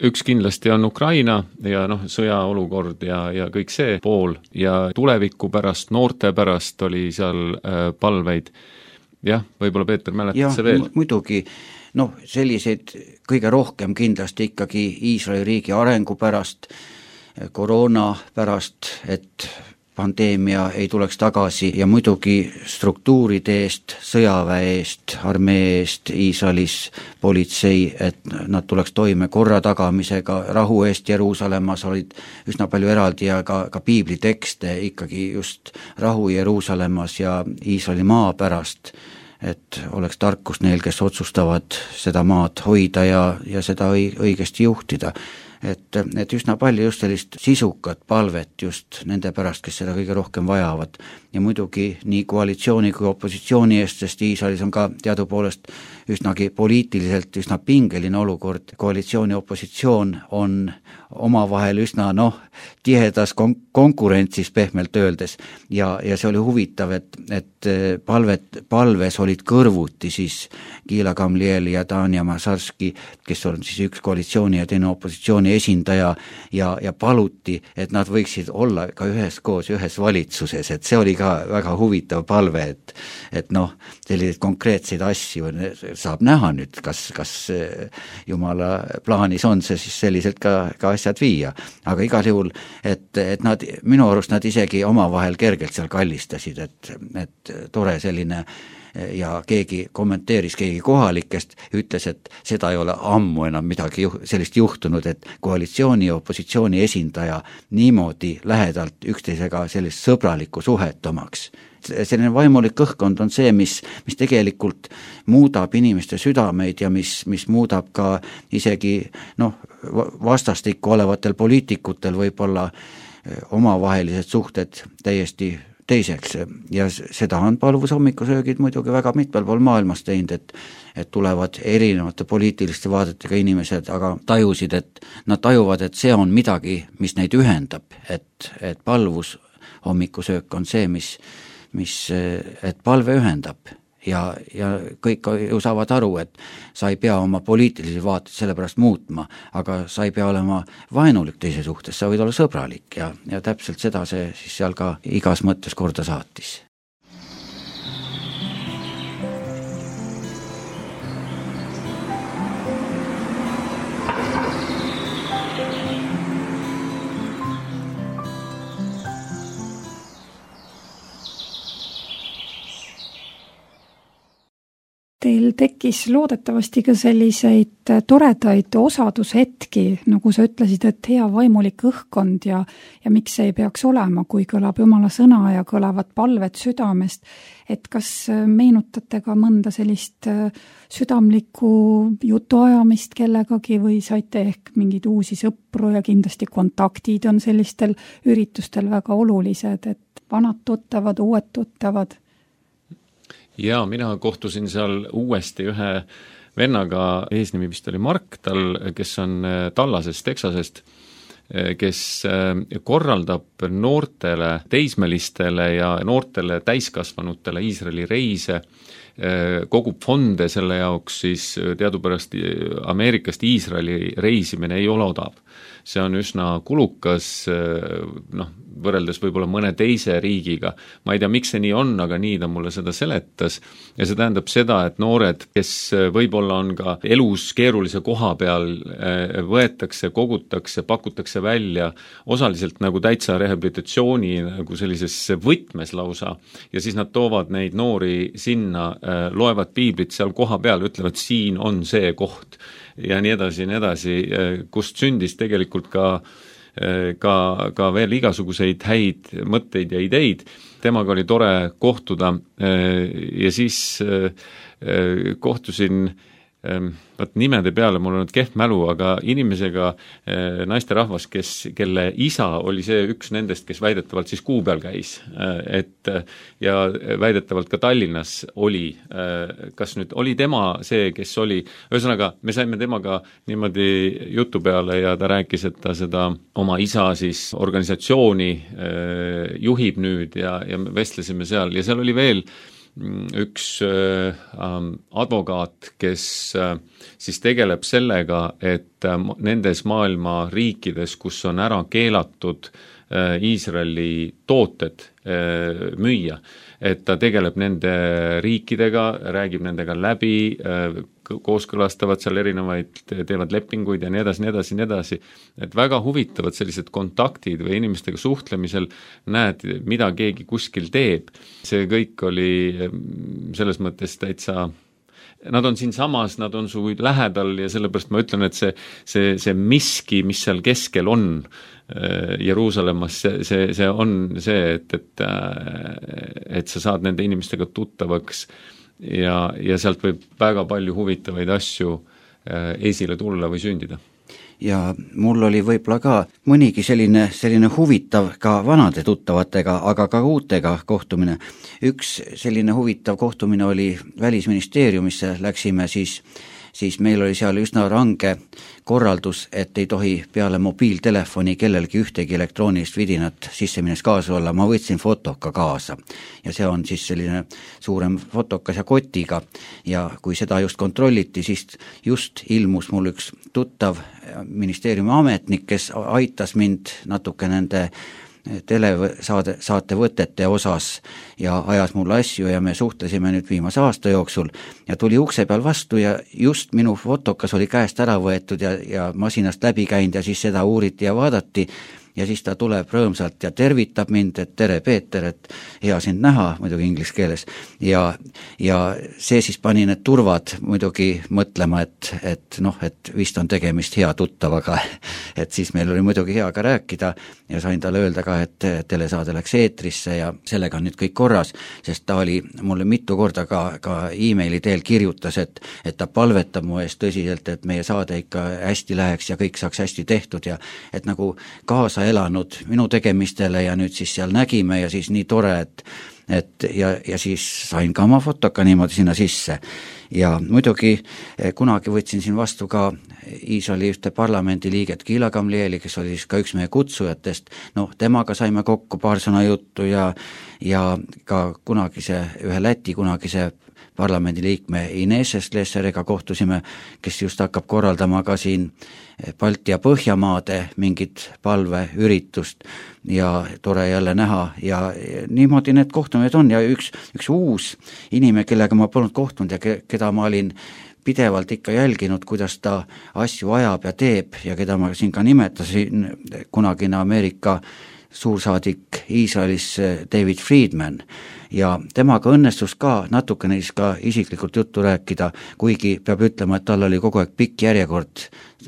Üks kindlasti on Ukraina ja noh, sõjaolukord ja, ja kõik see pool ja tuleviku pärast, noorte pärast oli seal äh, palveid. Jah, võib-olla Peeter mäletad see veel? Muidugi, noh, selliseid kõige rohkem kindlasti ikkagi Iisraeli riigi arengu pärast, koroona pärast, et pandeemia ei tuleks tagasi ja muidugi struktuuride eest, sõjaväe eest, armee eest, Iisraelis politsei, et nad tuleks toime korra tagamisega, rahu eest Jeruusalemmas olid üsna palju eraldi ja ka, ka piiblitekste ikkagi just rahu Jeruusalemmas ja Iisraeli maa pärast, et oleks tarkus neil, kes otsustavad seda maad hoida ja, ja seda õigesti juhtida. Et, et üsna palju just sellist sisukat palvet just nende pärast, kes seda kõige rohkem vajavad. Ja muidugi nii koalitsiooni kui opositsiooni eest, sest Iisraelis on ka teadupoolest üsnagi poliitiliselt üsna pingeline olukord. Koalitsiooni opositsioon on omavahel üsna noh, tihedas kon- konkurentsis pehmelt öeldes ja, ja see oli huvitav, et, et palvet, palves olid kõrvuti siis Gila Gamliel ja Tanja Masarski, kes on siis üks koalitsiooni ja teine opositsiooni esindaja ja, ja paluti, et nad võiksid olla ka ühes koos ühes valitsuses, et see oli ka väga huvitav palve, et, et noh, selliseid konkreetseid asju saab näha nüüd, kas, kas Jumala plaanis on see siis selliselt ka, ka asjad viia, aga igal juhul, et, et nad, minu arust nad isegi omavahel kergelt seal kallistasid, et, et tore selline ja keegi kommenteeris, keegi kohalikest ütles, et seda ei ole ammu enam midagi juh- sellist juhtunud, et koalitsiooni ja opositsiooni esindaja niimoodi lähedalt üksteisega sellist sõbralikku suhet omaks. Selline vaimulik õhkkond on see, mis, mis tegelikult muudab inimeste südameid ja mis, mis muudab ka isegi noh, vastastikku olevatel poliitikutel võib-olla omavahelised suhted täiesti teiseks ja seda on palvusommikusöögid muidugi väga mitmel pool maailmas teinud, et, et tulevad erinevate poliitiliste vaadetega inimesed, aga tajusid, et nad tajuvad, et see on midagi, mis neid ühendab, et, et palvusommikusöök on see, mis, mis, et palve ühendab ja, ja kõik ju saavad aru, et sa ei pea oma poliitilisi vaateid sellepärast muutma, aga sa ei pea olema vaenulik teise suhtes, sa võid olla sõbralik ja, ja täpselt seda see siis seal ka igas mõttes korda saatis. Teil tekkis loodetavasti ka selliseid toredaid osadushetki, nagu sa ütlesid, et hea vaimulik õhkkond ja, ja miks see ei peaks olema, kui kõlab Jumala sõna ja kõlavad palved südamest. Et kas meenutate ka mõnda sellist südamlikku jutuajamist kellegagi või saite ehk mingeid uusi sõpru ja kindlasti kontaktid on sellistel üritustel väga olulised, et vanad tuttavad, uued tuttavad? Ja mina kohtusin seal uuesti ühe vennaga, eesnimi vist oli Mark, tal, kes on Tallasest, Texasest, kes korraldab noortele teismelistele ja noortele täiskasvanutele Iisraeli reise, kogub fonde selle jaoks, siis teadupärast Ameerikast Iisraeli reisimine ei ole odav. See on üsna kulukas, noh, võrreldes võib-olla mõne teise riigiga. Ma ei tea, miks see nii on, aga nii ta mulle seda seletas. Ja see tähendab seda, et noored, kes võib-olla on ka elus keerulise koha peal, võetakse, kogutakse, pakutakse välja osaliselt nagu täitsa rehabilitatsiooni nagu sellises võtmes lausa. Ja siis nad toovad neid noori sinna, loevad piiblit seal koha peal, ütlevad, siin on see koht ja nii edasi, nii edasi, kust sündis tegelikult ka, ka, ka veel igasuguseid häid mõtteid ja ideid. Temaga oli tore kohtuda ja siis kohtusin võt nimede peale, mul on kehv mälu, aga inimesega naisterahvas, kes, kelle isa oli see üks nendest, kes väidetavalt siis kuu peal käis, et ja väidetavalt ka Tallinnas oli, kas nüüd oli tema see, kes oli, ühesõnaga me saime temaga niimoodi jutu peale ja ta rääkis, et ta seda oma isa siis organisatsiooni juhib nüüd ja, ja me vestlesime seal ja seal oli veel üks äh, advokaat, kes äh, siis tegeleb sellega, et äh, nendes maailma riikides, kus on ära keelatud äh, Iisraeli tooted äh, müüa, et ta tegeleb nende riikidega, räägib nendega läbi, äh, kooskõlastavad seal erinevaid, teevad lepinguid ja nii edasi, nii edasi, nii edasi, et väga huvitavad sellised kontaktid või inimestega suhtlemisel näed, mida keegi kuskil teeb. See kõik oli selles mõttes täitsa, nad on siin samas, nad on su lähedal ja sellepärast ma ütlen, et see, see, see miski, mis seal keskel on Jeruusalemmas, see, see, see on see, et, et, et sa saad nende inimestega tuttavaks ja, ja sealt võib väga palju huvitavaid asju esile tulla või sündida. Ja mul oli võib-olla ka mõnigi selline, selline huvitav ka vanade tuttavatega, aga ka uutega kohtumine. Üks selline huvitav kohtumine oli Välisministeeriumisse, läksime siis, siis meil oli seal üsna range korraldus, et ei tohi peale mobiiltelefoni kellelgi ühtegi elektroonilist vidinat sisse minnes kaasa olla. Ma võtsin fotoka kaasa ja see on siis selline suurem fotokas ja kotiga ja kui seda just kontrolliti, siis just ilmus mul üks tuttav ministeeriumi ametnik, kes aitas mind natuke nende telesaade, saate võtete osas ja ajas mulle asju ja me suhtlesime nüüd viimase aasta jooksul ja tuli ukse peal vastu ja just minu fotokas oli käest ära võetud ja, ja masinast läbi käinud ja siis seda uuriti ja vaadati ja siis ta tuleb rõõmsalt ja tervitab mind, et tere Peeter, et hea sind näha, muidugi inglise keeles ja, ja see siis pani need turvad muidugi mõtlema, et, et noh, et vist on tegemist hea tuttavaga, et siis meil oli muidugi hea ka rääkida ja sain talle öelda ka, et telesaade läks eetrisse ja sellega on nüüd kõik korras, sest ta oli mulle mitu korda ka, ka e-maili teel kirjutas, et, et ta palvetab mu eest tõsiselt, et meie saade ikka hästi läheks ja kõik saaks hästi tehtud ja et nagu kaasa elanud minu tegemistele ja nüüd siis seal nägime ja siis nii tore, et, et ja, ja siis sain ka oma fotoka niimoodi sinna sisse. Ja muidugi kunagi võtsin siin vastu ka Iisraeli ühte parlamendi liiget Gila Gamlieli, kes oli siis ka üks meie kutsujatest, noh, temaga saime kokku paar sõna juttu ja, ja ka kunagise, ühe Läti kunagise parlamendi liikme Ines Estleseriga kohtusime, kes just hakkab korraldama ka siin Balti ja Põhjamaade mingit palveüritust ja tore jälle näha ja niimoodi need kohtumised on ja üks, üks uus inimene, kellega ma polnud kohtunud ja ke, keda ma olin pidevalt ikka jälginud, kuidas ta asju ajab ja teeb ja keda ma siin ka nimetasin, kunagine Ameerika suursaadik Iisraelis David Friedman ja temaga õnnestus ka natukene siis ka isiklikult juttu rääkida, kuigi peab ütlema, et tal oli kogu aeg pikk järjekord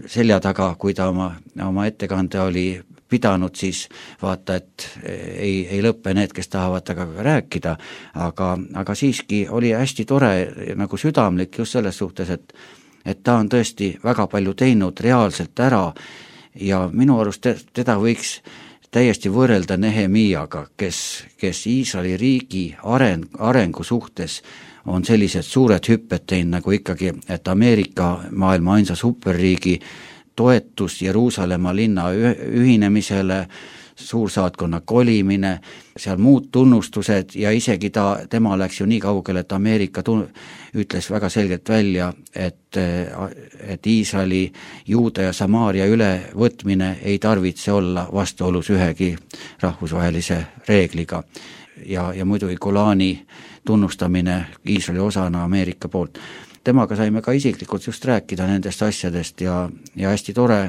selja taga, kui ta oma, oma ettekande oli pidanud, siis vaata, et ei, ei lõppe need, kes tahavad temaga rääkida, aga, aga siiski oli hästi tore nagu südamlik just selles suhtes, et, et ta on tõesti väga palju teinud reaalselt ära ja minu arust teda võiks täiesti võrrelda Nehemiaga, kes, kes Iisraeli riigi areng, arengu suhtes on sellised suured hüpped teinud nagu ikkagi, et Ameerika maailma ainsa superriigi toetus Jeruusalemma linna ühinemisele, suursaatkonna kolimine, seal muud tunnustused ja isegi ta, tema läks ju nii kaugele, et Ameerika tun-, ütles väga selgelt välja, et, et Iisraeli, Juuda ja Samaaria ülevõtmine ei tarvitse olla vastuolus ühegi rahvusvahelise reegliga ja, ja muidugi Golani tunnustamine Iisraeli osana Ameerika poolt. Temaga saime ka isiklikult just rääkida nendest asjadest ja, ja hästi tore,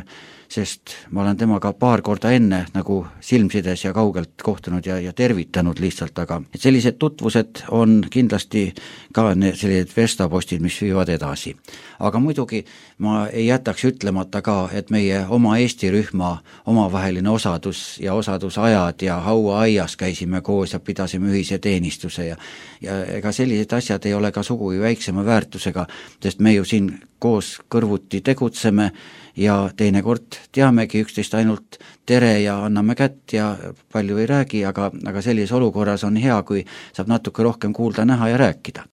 sest ma olen temaga paar korda enne nagu silmsides ja kaugelt kohtunud ja, ja tervitanud lihtsalt, aga et sellised tutvused on kindlasti ka sellised verstapostid, mis viivad edasi. Aga muidugi ma ei jätaks ütlemata ka, et meie oma Eesti rühma omavaheline osadus ja osadusajad ja hauaaias käisime koos ja pidasime ühise teenistuse ja, ja ega sellised asjad ei ole ka sugugi väiksema väärtusega, sest me ju siin koos kõrvuti tegutseme ja teinekord teamegi üksteist ainult tere ja anname kätt ja palju ei räägi, aga, aga sellises olukorras on hea, kui saab natuke rohkem kuulda, näha ja rääkida.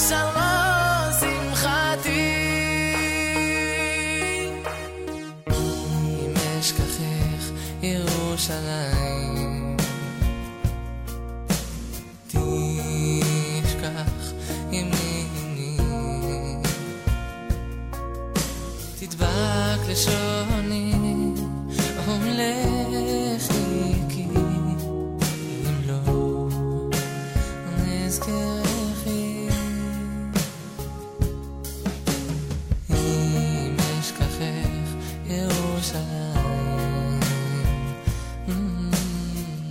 Salva ירושלים תשכח ימיני תדבק לשוני ולחיקי אם לא נזכרכי אם אשכחך ירושלים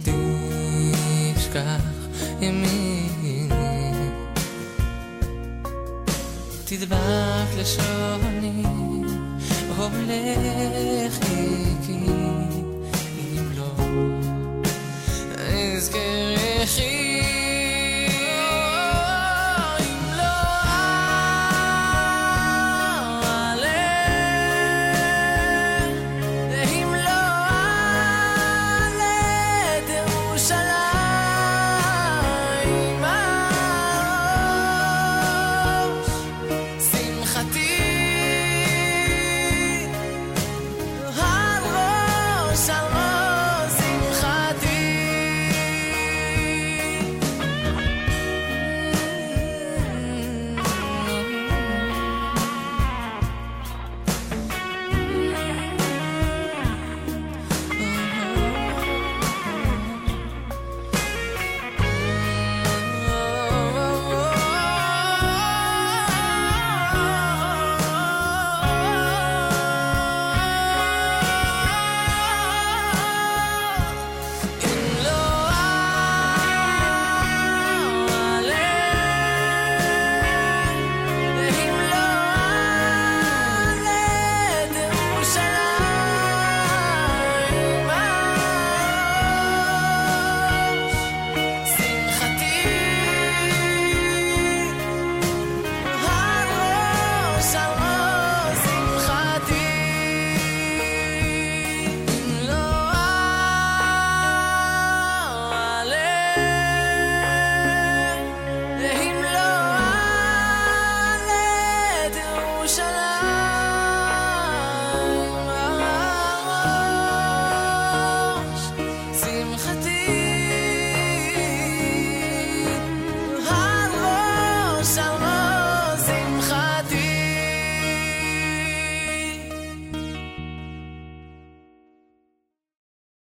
תשכח ימיני תדבק לשוני ולחיקי אם לא אזכרכי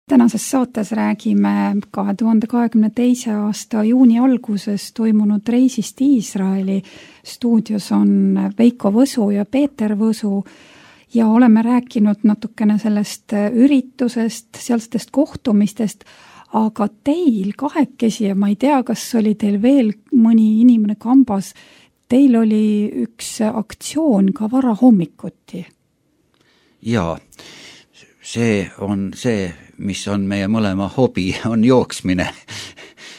Tänases saates räägime kahe tuhande kahekümne teise aasta juuni alguses toimunud reisist Iisraeli. Stuudios on Veiko Võsu ja Peeter Võsu ja oleme rääkinud natukene sellest üritusest, sealsetest kohtumistest, aga teil kahekesi ja ma ei tea, kas oli teil veel mõni inimene kambas, teil oli üks aktsioon ka varahommikuti. Jaa, see on see, mis on meie mõlema hobi, on jooksmine.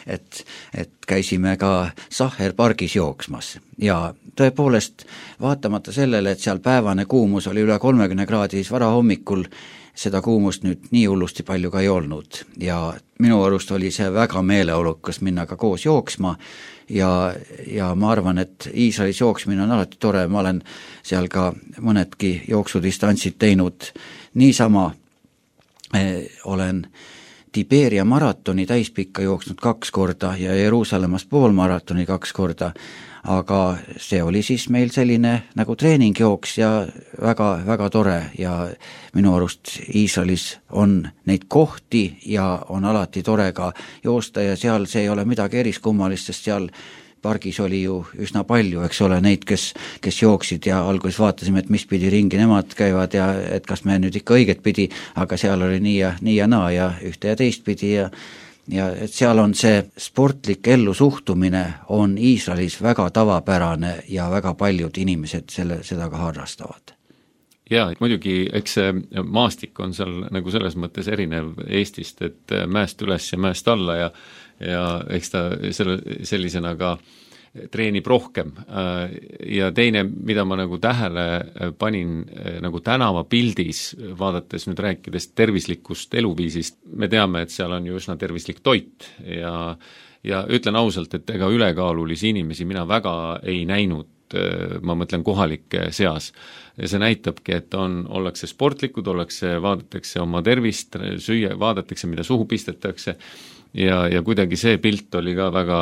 et, et käisime ka Sahher pargis jooksmas ja tõepoolest vaatamata sellele, et seal päevane kuumus oli üle kolmekümne kraadis varahommikul, seda kuumust nüüd nii hullusti palju ka ei olnud ja minu arust oli see väga meeleolukas minna ka koos jooksma ja, ja ma arvan, et Iisraelis jooksmine on alati tore, ma olen seal ka mõnedki jooksudistantsid teinud niisama. Olen Tiberia maratoni täispikka jooksnud kaks korda ja Jeruusalemmas poolmaratoni kaks korda, aga see oli siis meil selline nagu treeningjooks ja väga, väga tore ja minu arust Iisraelis on neid kohti ja on alati tore ka joosta ja seal see ei ole midagi eriskummalist, sest seal pargis oli ju üsna palju, eks ole, neid, kes, kes jooksid ja alguses vaatasime, et mis pidi ringi nemad käivad ja et kas me nüüd ikka õiget pidi, aga seal oli nii ja, nii ja naa ja ühte ja teist pidi ja, ja et seal on see sportlik ellusuhtumine on Iisraelis väga tavapärane ja väga paljud inimesed selle, seda ka harrastavad. Jaa, et muidugi, eks see maastik on seal nagu selles mõttes erinev Eestist, et mäest üles ja mäest alla ja ja eks ta selle, sellisena ka treenib rohkem. Ja teine, mida ma nagu tähele panin nagu tänava pildis, vaadates nüüd rääkides tervislikust eluviisist, me teame, et seal on ju üsna tervislik toit ja, ja ütlen ausalt, et ega ülekaalulisi inimesi mina väga ei näinud ma mõtlen kohalike seas. Ja see näitabki, et on, ollakse sportlikud, ollakse, vaadatakse oma tervist, süüa, vaadatakse, mida suhu pistetakse ja, ja kuidagi see pilt oli ka väga,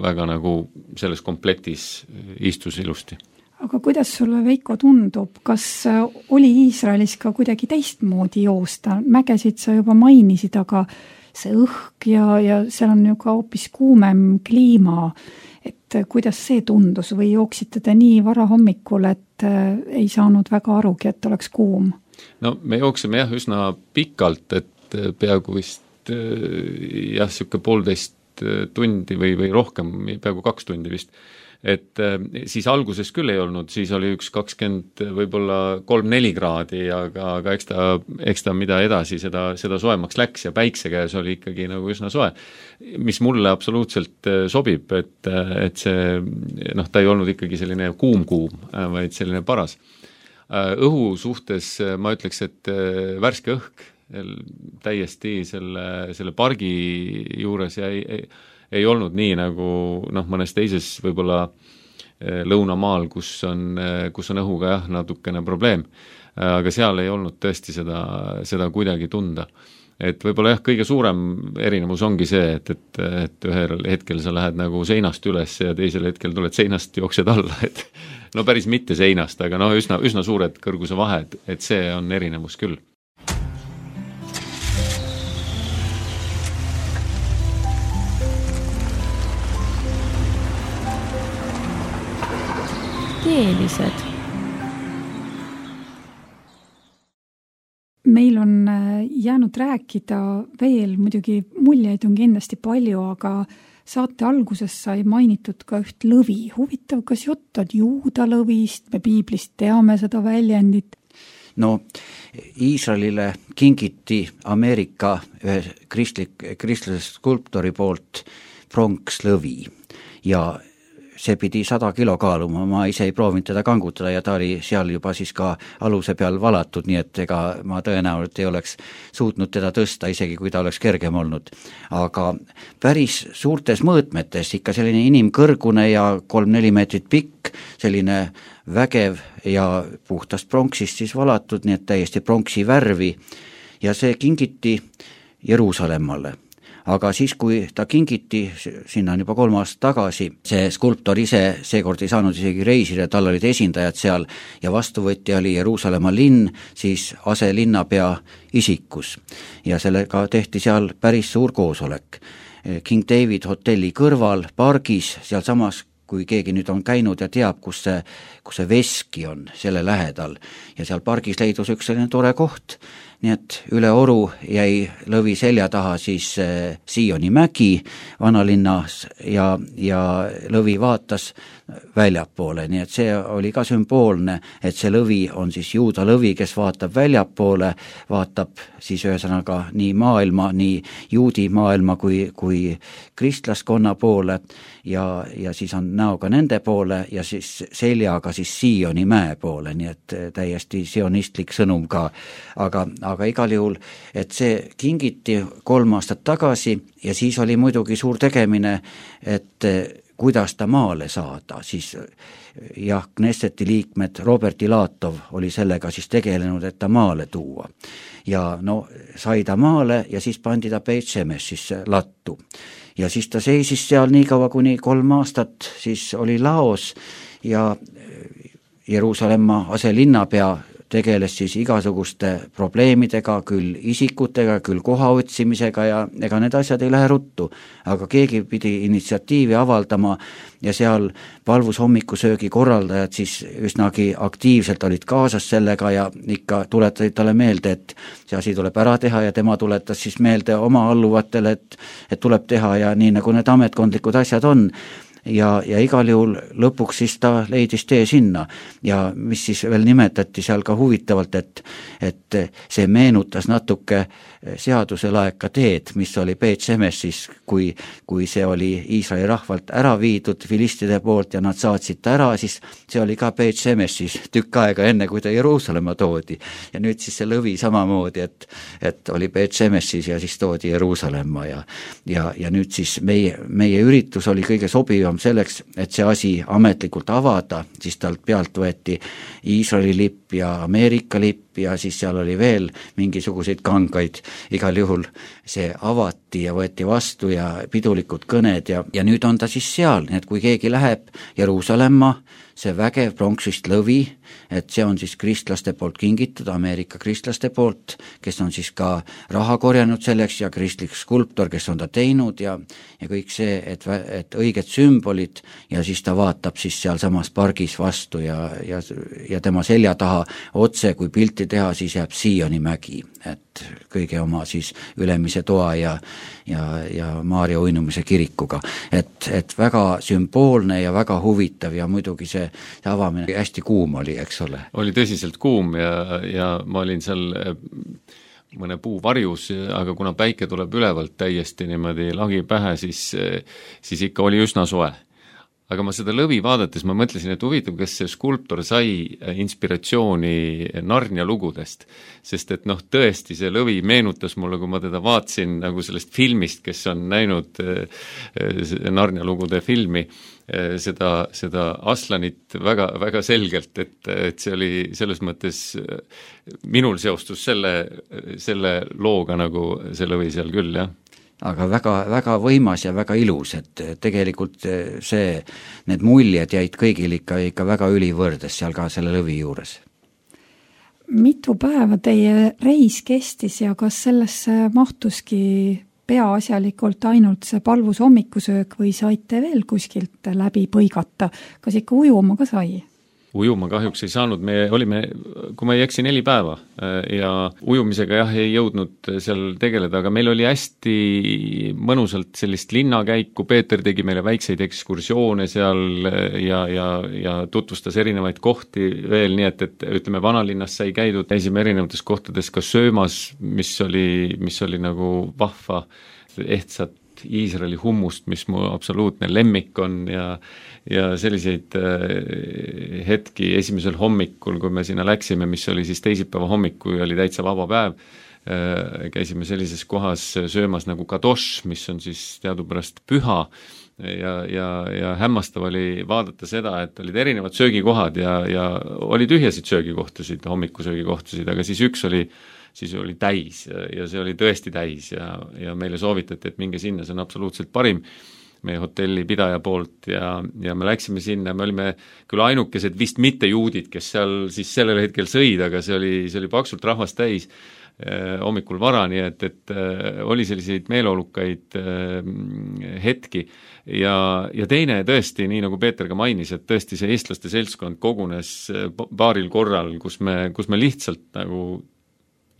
väga nagu selles komplektis istus ilusti. Aga kuidas sulle, Veiko, tundub, kas oli Iisraelis ka kuidagi teistmoodi joosta? Mägesid sa juba mainisid, aga see õhk ja, ja seal on ju ka hoopis kuumem kliima, et kuidas see tundus või jooksite te nii vara hommikul, et ei saanud väga arugi, et oleks kuum? No me jooksime jah üsna pikalt, et peaaegu vist jah, siuke poolteist tundi või, või rohkem, peaaegu kaks tundi vist. Et siis alguses küll ei olnud, siis oli üks kakskümmend, võib-olla kolm-neli kraadi, aga, aga eks ta, eks ta mida edasi, seda, seda soemaks läks ja päikse käes oli ikkagi nagu üsna soe, mis mulle absoluutselt sobib, et, et see, noh, ta ei olnud ikkagi selline kuum-kuum, vaid selline paras. Õhu suhtes ma ütleks, et värske õhk täiesti selle, selle pargi juures ja ei, ei ei olnud nii nagu noh, mõnes teises võib-olla lõunamaal, kus on, kus on õhuga jah, natukene probleem. Aga seal ei olnud tõesti seda, seda kuidagi tunda. Et võib-olla jah, kõige suurem erinevus ongi see, et, et, et ühel hetkel sa lähed nagu seinast üles ja teisel hetkel tuled seinast, jooksed alla, et no päris mitte seinast, aga no üsna, üsna suured kõrguse vahed, et see on erinevus küll. Keelised. Meil on jäänud rääkida veel, muidugi muljeid on kindlasti palju, aga saate alguses sai mainitud ka üht lõvi. Huvitav, kas jutt on juuda lõvist, me piiblist teame seda väljendit? No, Iisraelile kingiti Ameerika ühe kristlik, kristlase skulptori poolt pronkslõvi ja see pidi sada kilo kaaluma, ma ise ei proovinud teda kangutada ja ta oli seal juba siis ka aluse peal valatud, nii et ega ma tõenäoliselt ei oleks suutnud teda tõsta, isegi kui ta oleks kergem olnud. Aga päris suurtes mõõtmetes, ikka selline inimkõrgune ja kolm-neli meetrit pikk, selline vägev ja puhtast pronksist siis valatud, nii et täiesti pronksi värvi ja see kingiti Jeruusalemmale. Aga siis, kui ta kingiti, sinna on juba kolm aastat tagasi, see skulptor ise seekord ei saanud isegi reisida, tal olid esindajad seal ja vastuvõtja oli Jeruusalemma linn, siis aselinnapea isikus. Ja sellega tehti seal päris suur koosolek. King David hotelli kõrval, pargis, seal samas, kui keegi nüüd on käinud ja teab, kus see, kus see veski on, selle lähedal. Ja seal pargis leidus üks selline tore koht, nii et üle oru jäi lõvi selja taha siis äh, Sioni mägi vanalinnas ja, ja lõvi vaatas väljapoole, nii et see oli ka sümboolne, et see lõvi on siis juuda lõvi, kes vaatab väljapoole, vaatab siis ühesõnaga nii maailma, nii juudi maailma kui, kui kristlaskonna poole ja, ja siis on näoga nende poole ja siis seljaga siis Sioni mäe poole, nii et täiesti sionistlik sõnum ka, aga aga igal juhul, et see kingiti kolm aastat tagasi ja siis oli muidugi suur tegemine, et kuidas ta maale saada, siis jah, Knesseti liikmed Robert Ilatov oli sellega siis tegelenud, et ta maale tuua. Ja no sai ta maale ja siis pandi ta Beit Shemeshisse lattu. Ja siis ta seisis seal nii kaua kuni kolm aastat, siis oli laos ja Jeruusalemma aselinnapea tegeles siis igasuguste probleemidega, küll isikutega, küll koha otsimisega ja ega need asjad ei lähe ruttu. Aga keegi pidi initsiatiivi avaldama ja seal palvushommikusöögi korraldajad siis üsnagi aktiivselt olid kaasas sellega ja ikka tuletasid talle meelde, et see asi tuleb ära teha ja tema tuletas siis meelde oma alluvatele, et, et tuleb teha ja nii nagu need ametkondlikud asjad on. Ja, ja igal juhul lõpuks siis ta leidis tee sinna ja mis siis veel nimetati seal ka huvitavalt, et, et see meenutas natuke seaduselaeka teed, mis oli Beit Shemeshis, kui, kui see oli Iisraeli rahvalt ära viidud filistide poolt ja nad saatsid ta ära, siis see oli ka Beit Shemeshis tükk aega enne, kui ta Jeruusalemma toodi. Ja nüüd siis see lõvi samamoodi, et, et oli Beit Shemeshis ja siis toodi Jeruusalemma ja, ja, ja nüüd siis meie, meie üritus oli kõige sobivam selleks, et see asi ametlikult avada, siis talt pealt võeti Iisraeli lipp ja Ameerika lipp ja siis seal oli veel mingisuguseid kangaid, igal juhul see avati ja võeti vastu ja pidulikud kõned ja, ja nüüd on ta siis seal, nii et kui keegi läheb Jeruusalemma, see vägev pronksist lõvi, et see on siis kristlaste poolt kingitud, Ameerika kristlaste poolt, kes on siis ka raha korjanud selleks ja kristlik skulptor, kes on ta teinud ja, ja kõik see, et, et õiged sümbolid ja siis ta vaatab siis seal samas pargis vastu ja, ja, ja tema selja taha otse, kui pilti teha, siis jääb Sioni mägi, et kõige oma siis Ülemise toa ja, ja, ja Maarja uinumise kirikuga, et, et väga sümboolne ja väga huvitav ja muidugi see, see avamine hästi kuum oli, eks ole. Oli tõsiselt kuum ja, ja ma olin seal mõne puu varjus, aga kuna päike tuleb ülevalt täiesti niimoodi lagi pähe, siis, siis ikka oli üsna soe. Aga ma seda lõvi vaadates, ma mõtlesin, et huvitav, kas see skulptor sai inspiratsiooni Narnia lugudest, sest et noh, tõesti see lõvi meenutas mulle, kui ma teda vaatsin nagu sellest filmist, kes on näinud Narnia lugude filmi, seda, seda Aslanit väga, väga selgelt, et, et see oli selles mõttes, minul seostus selle, selle looga nagu see lõvi seal küll, jah. Aga väga, väga võimas ja väga ilus, et tegelikult see, need muljed jäid kõigil ikka, ikka väga ülivõrdes seal ka selle lõvi juures. Mitu päeva teie reis kestis ja kas sellesse mahtuski peaasjalikult ainult see palvus hommikusöök või saite veel kuskilt läbi põigata? Kas ikka ujuma ka sai? Ujuma kahjuks ei saanud, me olime, kui ma ei eksi, neli päeva ja ujumisega jah, ei jõudnud seal tegeleda, aga meil oli hästi mõnusalt sellist linnakäiku, Peeter tegi meile väikseid ekskursioone seal ja, ja, ja tutvustas erinevaid kohti veel, nii et, et ütleme, vanalinnas sai käidud, käisime erinevates kohtades ka söömas, mis oli, mis oli nagu vahva ehtsat Iisraeli hummust, mis mu absoluutne lemmik on ja, ja selliseid äh, hetki esimesel hommikul, kui me sinna läksime, mis oli siis teisipäeva hommik, kui oli täitsa vaba päev, äh, käisime sellises kohas söömas nagu kadosh, mis on siis teadupärast püha ja, ja, ja hämmastav oli vaadata seda, et olid erinevad söögikohad ja, ja oli tühjasid söögikohtusid, hommikusöögikohtusid, aga siis üks oli siis oli täis ja, ja see oli tõesti täis ja, ja meile soovitati, et minge sinna, see on absoluutselt parim meie hotelli pidaja poolt ja, ja me läksime sinna, me olime küll ainukesed vist mitte juudid, kes seal siis sellel hetkel sõid, aga see oli, see oli paksult rahvast täis eh, hommikul vara, nii et, et eh, oli selliseid meeleolukaid eh, hetki ja, ja teine tõesti, nii nagu Peeter ka mainis, et tõesti see eestlaste seltskond kogunes paaril korral, kus me, kus me lihtsalt nagu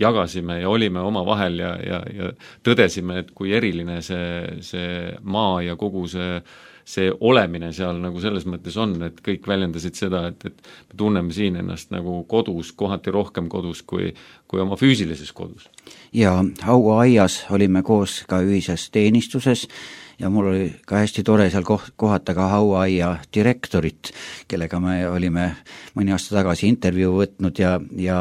jagasime ja olime oma vahel ja, ja, ja tõdesime, et kui eriline see, see maa ja kogu see, see olemine seal nagu selles mõttes on, et kõik väljendasid seda, et, et me tunneme siin ennast nagu kodus, kohati rohkem kodus kui, kui oma füüsilises kodus. Ja hauaaias olime koos ka ühises teenistuses ja mul oli ka hästi tore seal kohata ka hauaaia direktorit, kellega me olime mõni aasta tagasi intervjuu võtnud ja, ja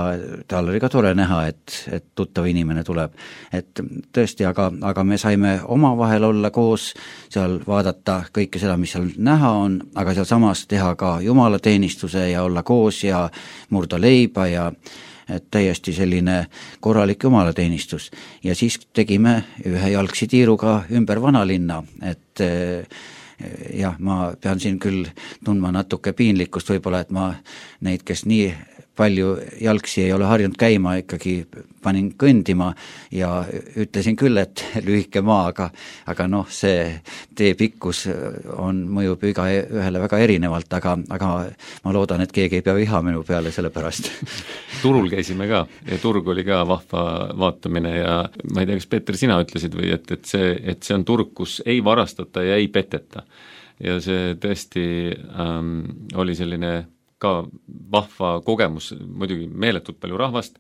tal oli ka tore näha, et, et tuttav inimene tuleb. Et tõesti, aga, aga me saime omavahel olla koos, seal vaadata kõike seda, mis seal näha on, aga seal samas teha ka jumalateenistuse ja olla koos ja murda leiba ja et täiesti selline korralik jumalateenistus. Ja siis tegime ühe jalgsi tiiruga ümber vanalinna, et jah, ma pean siin küll tundma natuke piinlikkust võib-olla, et ma neid, kes nii palju jalgsi ei ole harjunud käima, ikkagi panin kõndima ja ütlesin küll, et lühike maa, aga, aga noh, see tee pikkus on, mõjub iga ühele väga erinevalt, aga, aga ma loodan, et keegi ei pea viha minu peale selle pärast. Turul käisime ka ja turg oli ka vahva vaatamine ja ma ei tea, kas Peeter, sina ütlesid või, et, et, see, et see on turg, kus ei varastata ja ei peteta. Ja see tõesti ähm, oli selline ka vahva kogemus, muidugi meeletult palju rahvast,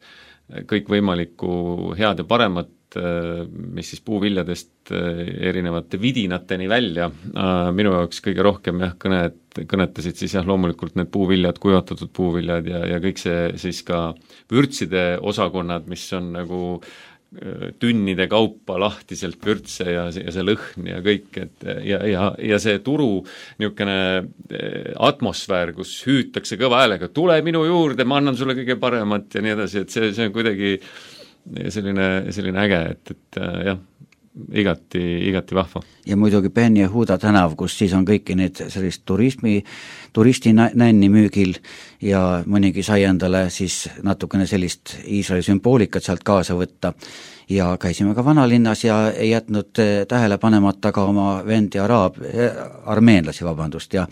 kõik võimalikku head ja paremat, mis siis puuviljadest erinevate vidinateni välja. Minu jaoks kõige rohkem jah, kõnet, kõnetasid siis jah, loomulikult need puuviljad, kuivatatud puuviljad ja, ja kõik see siis ka vürtside osakonnad, mis on nagu tünnide kaupa lahtiselt vürtse ja see, ja see lõhn ja kõik, et ja, ja, ja see turu niisugune atmosfäär, kus hüütakse kõva häälega, tule minu juurde, ma annan sulle kõige paremat ja nii edasi, et see, see on kuidagi selline, selline äge, et, et jah, igati, igati vahva. Ja muidugi Penn ja Huda tänav, kus siis on kõiki need sellist turismi, turisti nänni müügil ja mõnigi sai endale siis natukene sellist Iisraeli sümboolikat sealt kaasa võtta. Ja käisime ka vanalinnas ja ei jätnud tähele panemata ka oma vendi araab, armeenlasi, vabandust, ja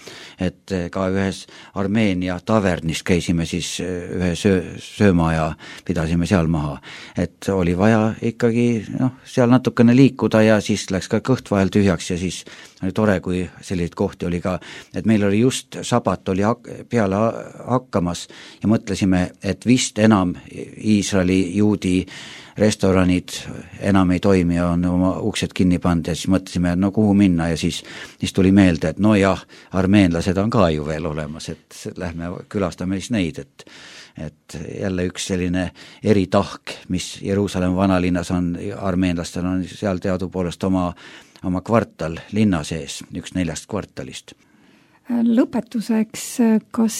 et ka ühes Armeenia tavernis käisime siis ühe söö, sööma ja pidasime seal maha. Et oli vaja ikkagi noh, seal natukene liikuda ja siis läks ka kõht vahel tühjaks ja siis oli tore, kui selliseid kohti oli ka, et meil oli just sabat oli peale hakkamas ja mõtlesime, et vist enam Iisraeli juudi restoranid enam ei toimi ja on oma uksed kinni pannud ja siis mõtlesime, no kuhu minna ja siis, siis tuli meelde, et no jah, armeenlased on ka ju veel olemas, et lähme külastame siis neid, et et jälle üks selline eritahk, mis Jeruusalemma vanalinnas on, armeenlastel on seal teadupoolest oma, oma kvartal linna sees, üks neljast kvartalist. Lõpetuseks, kas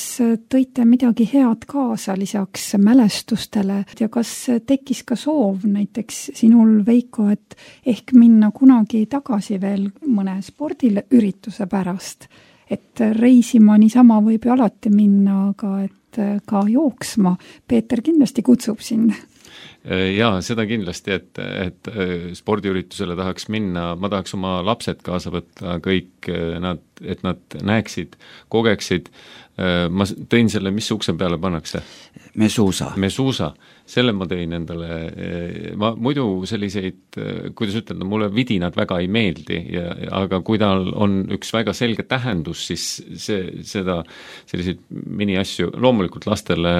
tõite midagi head kaasa lisaks mälestustele ja kas tekkis ka soov näiteks sinul, Veiko, et ehk minna kunagi tagasi veel mõne spordiürituse pärast, et reisima niisama võib ju alati minna, aga et ka jooksma. Peeter kindlasti kutsub sind. Jaa, seda kindlasti, et, et spordiüritusele tahaks minna, ma tahaks oma lapsed kaasa võtta, kõik nad, et nad näeksid, kogeksid. Ma tõin selle, mis ukse peale pannakse? Mesuusa. Mesuusa. Selle ma tõin endale, ma muidu selliseid, kuidas ütelda, mulle vidinad väga ei meeldi, ja, aga kui tal on üks väga selge tähendus, siis see, seda, selliseid miniasju, loomulikult lastele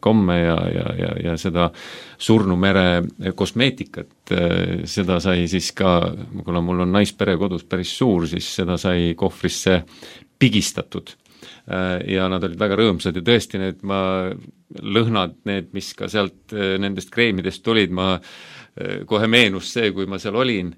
komme ja, ja, ja, ja seda surnumere kosmeetikat, seda sai siis ka, kuna mul on naispere kodus päris suur, siis seda sai kohvrisse pigistatud. Ja nad olid väga rõõmsad ja tõesti need ma lõhnad, need, mis ka sealt nendest kreemidest tulid, ma kohe meenus see, kui ma seal olin.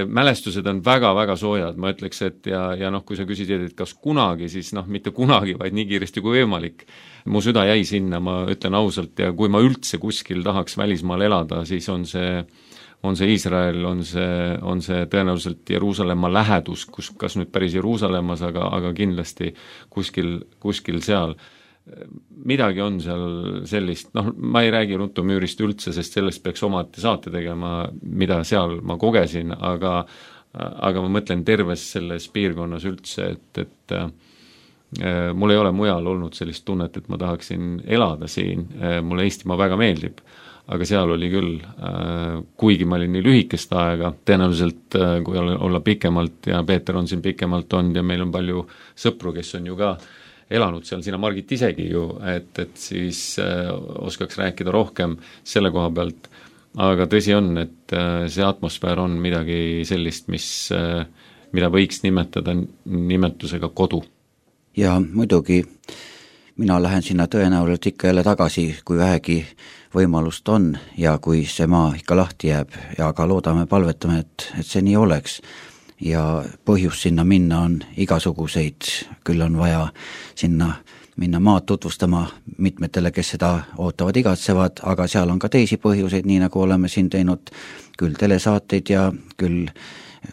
Mälestused on väga-väga soojad, ma ütleks, et ja, ja noh, kui sa küsisid, et kas kunagi, siis noh, mitte kunagi, vaid nii kiiresti kui võimalik. Mu süda jäi sinna, ma ütlen ausalt, ja kui ma üldse kuskil tahaks välismaal elada, siis on see on see Iisrael, on see, on see tõenäoliselt Jeruusalemma lähedus, kus, kas nüüd päris Jeruusalemmas, aga, aga kindlasti kuskil, kuskil seal. Midagi on seal sellist, noh, ma ei räägi Rutumüürist üldse, sest sellest peaks omati saate tegema, mida seal ma kogesin, aga, aga ma mõtlen terves selles piirkonnas üldse, et, et äh, mul ei ole mujal olnud sellist tunnet, et ma tahaksin elada siin, mulle Eestimaa väga meeldib, aga seal oli küll, kuigi ma olin nii lühikest aega, tõenäoliselt kui olla pikemalt ja Peeter on siin pikemalt olnud ja meil on palju sõpru, kes on ju ka elanud seal, sina Margit isegi ju, et, et siis oskaks rääkida rohkem selle koha pealt, aga tõsi on, et see atmosfäär on midagi sellist, mis, mida võiks nimetada nimetusega kodu. Ja muidugi mina lähen sinna tõenäoliselt ikka jälle tagasi, kui vähegi võimalust on ja kui see maa ikka lahti jääb ja ka loodame, palvetame, et, et see nii oleks. Ja põhjus sinna minna on igasuguseid, küll on vaja sinna minna maad tutvustama mitmetele, kes seda ootavad, igatsevad, aga seal on ka teisi põhjuseid, nii nagu oleme siin teinud küll telesaateid ja küll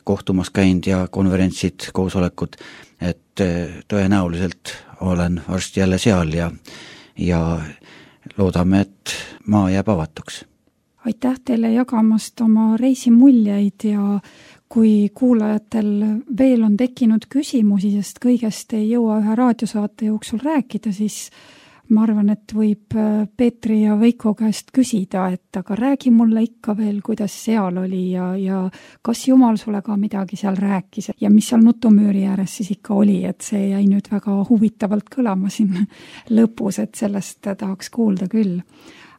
kohtumas käinud ja konverentsid, koosolekud, et tõenäoliselt olen varsti jälle seal ja, ja loodame, et maa jääb avatuks. Aitäh teile jagamast oma reisimuljeid ja kui kuulajatel veel on tekkinud küsimusi, sest kõigest ei jõua ühe raadiosaate jooksul rääkida, siis ma arvan, et võib Peetri ja Veiko käest küsida, et aga räägi mulle ikka veel, kuidas seal oli ja, ja kas Jumal sulle ka midagi seal rääkis ja mis seal Nutumüüri ääres siis ikka oli, et see jäi nüüd väga huvitavalt kõlama siin lõpus, et sellest tahaks kuulda küll.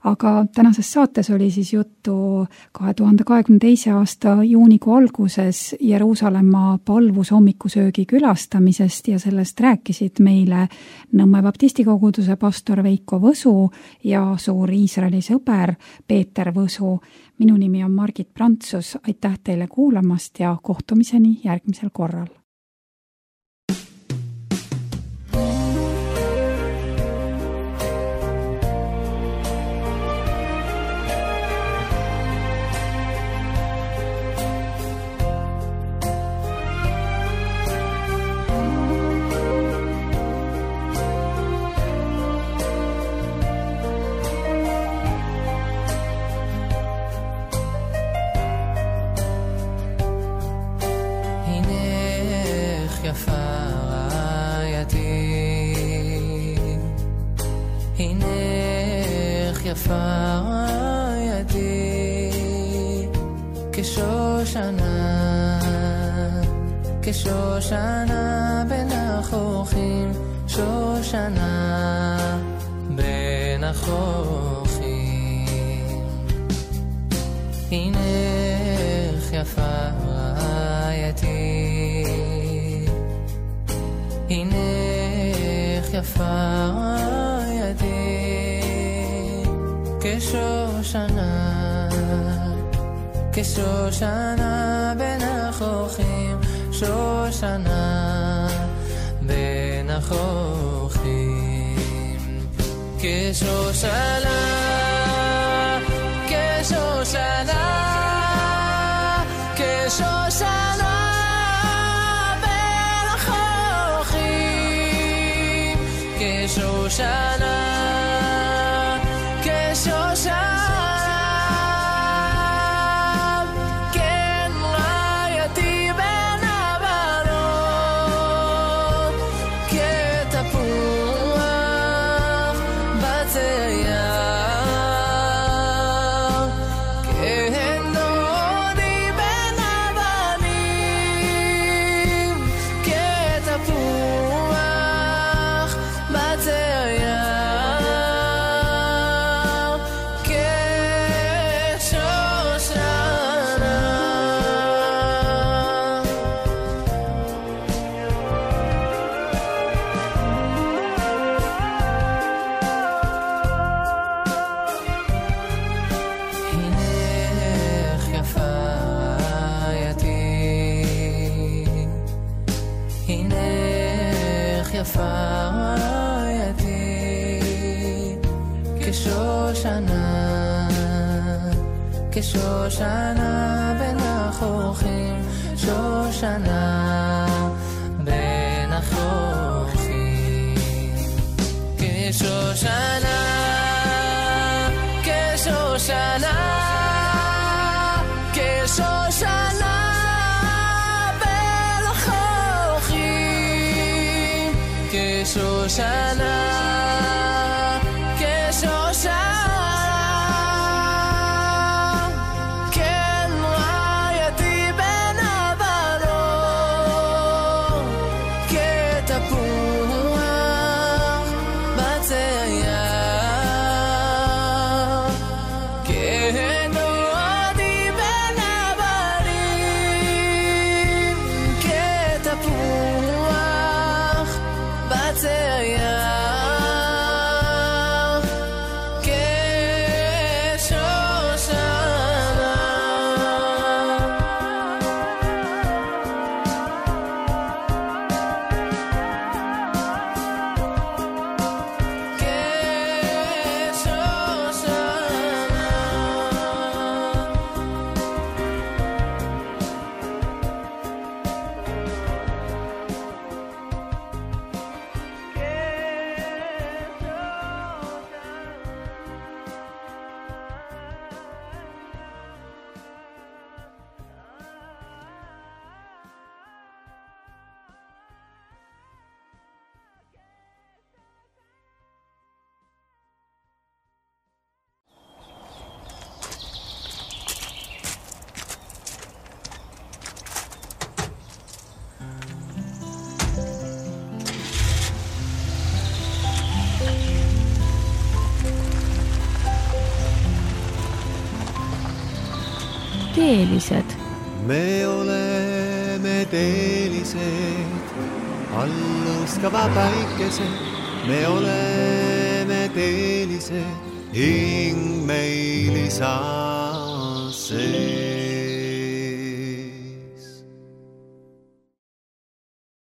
aga tänases saates oli siis juttu kahe tuhande kahekümne teise aasta juunikuu alguses Jeruusalemma palvusommikusöögi külastamisest ja sellest rääkisid meile Nõmme baptistikoguduse pastor Veiko Võsu ja suur Iisraeli sõber Peeter Võsu. Minu nimi on Margit Prantsus, aitäh teile kuulamast ja kohtumiseni järgmisel korral. יפה ידי כשושנה כשושנה בין החוכים שושנה בין החוכים הנך יפה ידי הנך יפה ידי כשושנה, כשושנה בין החוכים, שושנה בין החוכים, כשושנה, כשושנה, כשושנה בין החוכים, כשושנה כשושנה בין החוכים, שושנה בין החוכים, כשושנה, כשושנה, כשושנה בין החוכים, כשושנה, כשושנה yeah. teelised? me oleme teelised, allustava päikesed, me oleme teelised, hing meil isa see.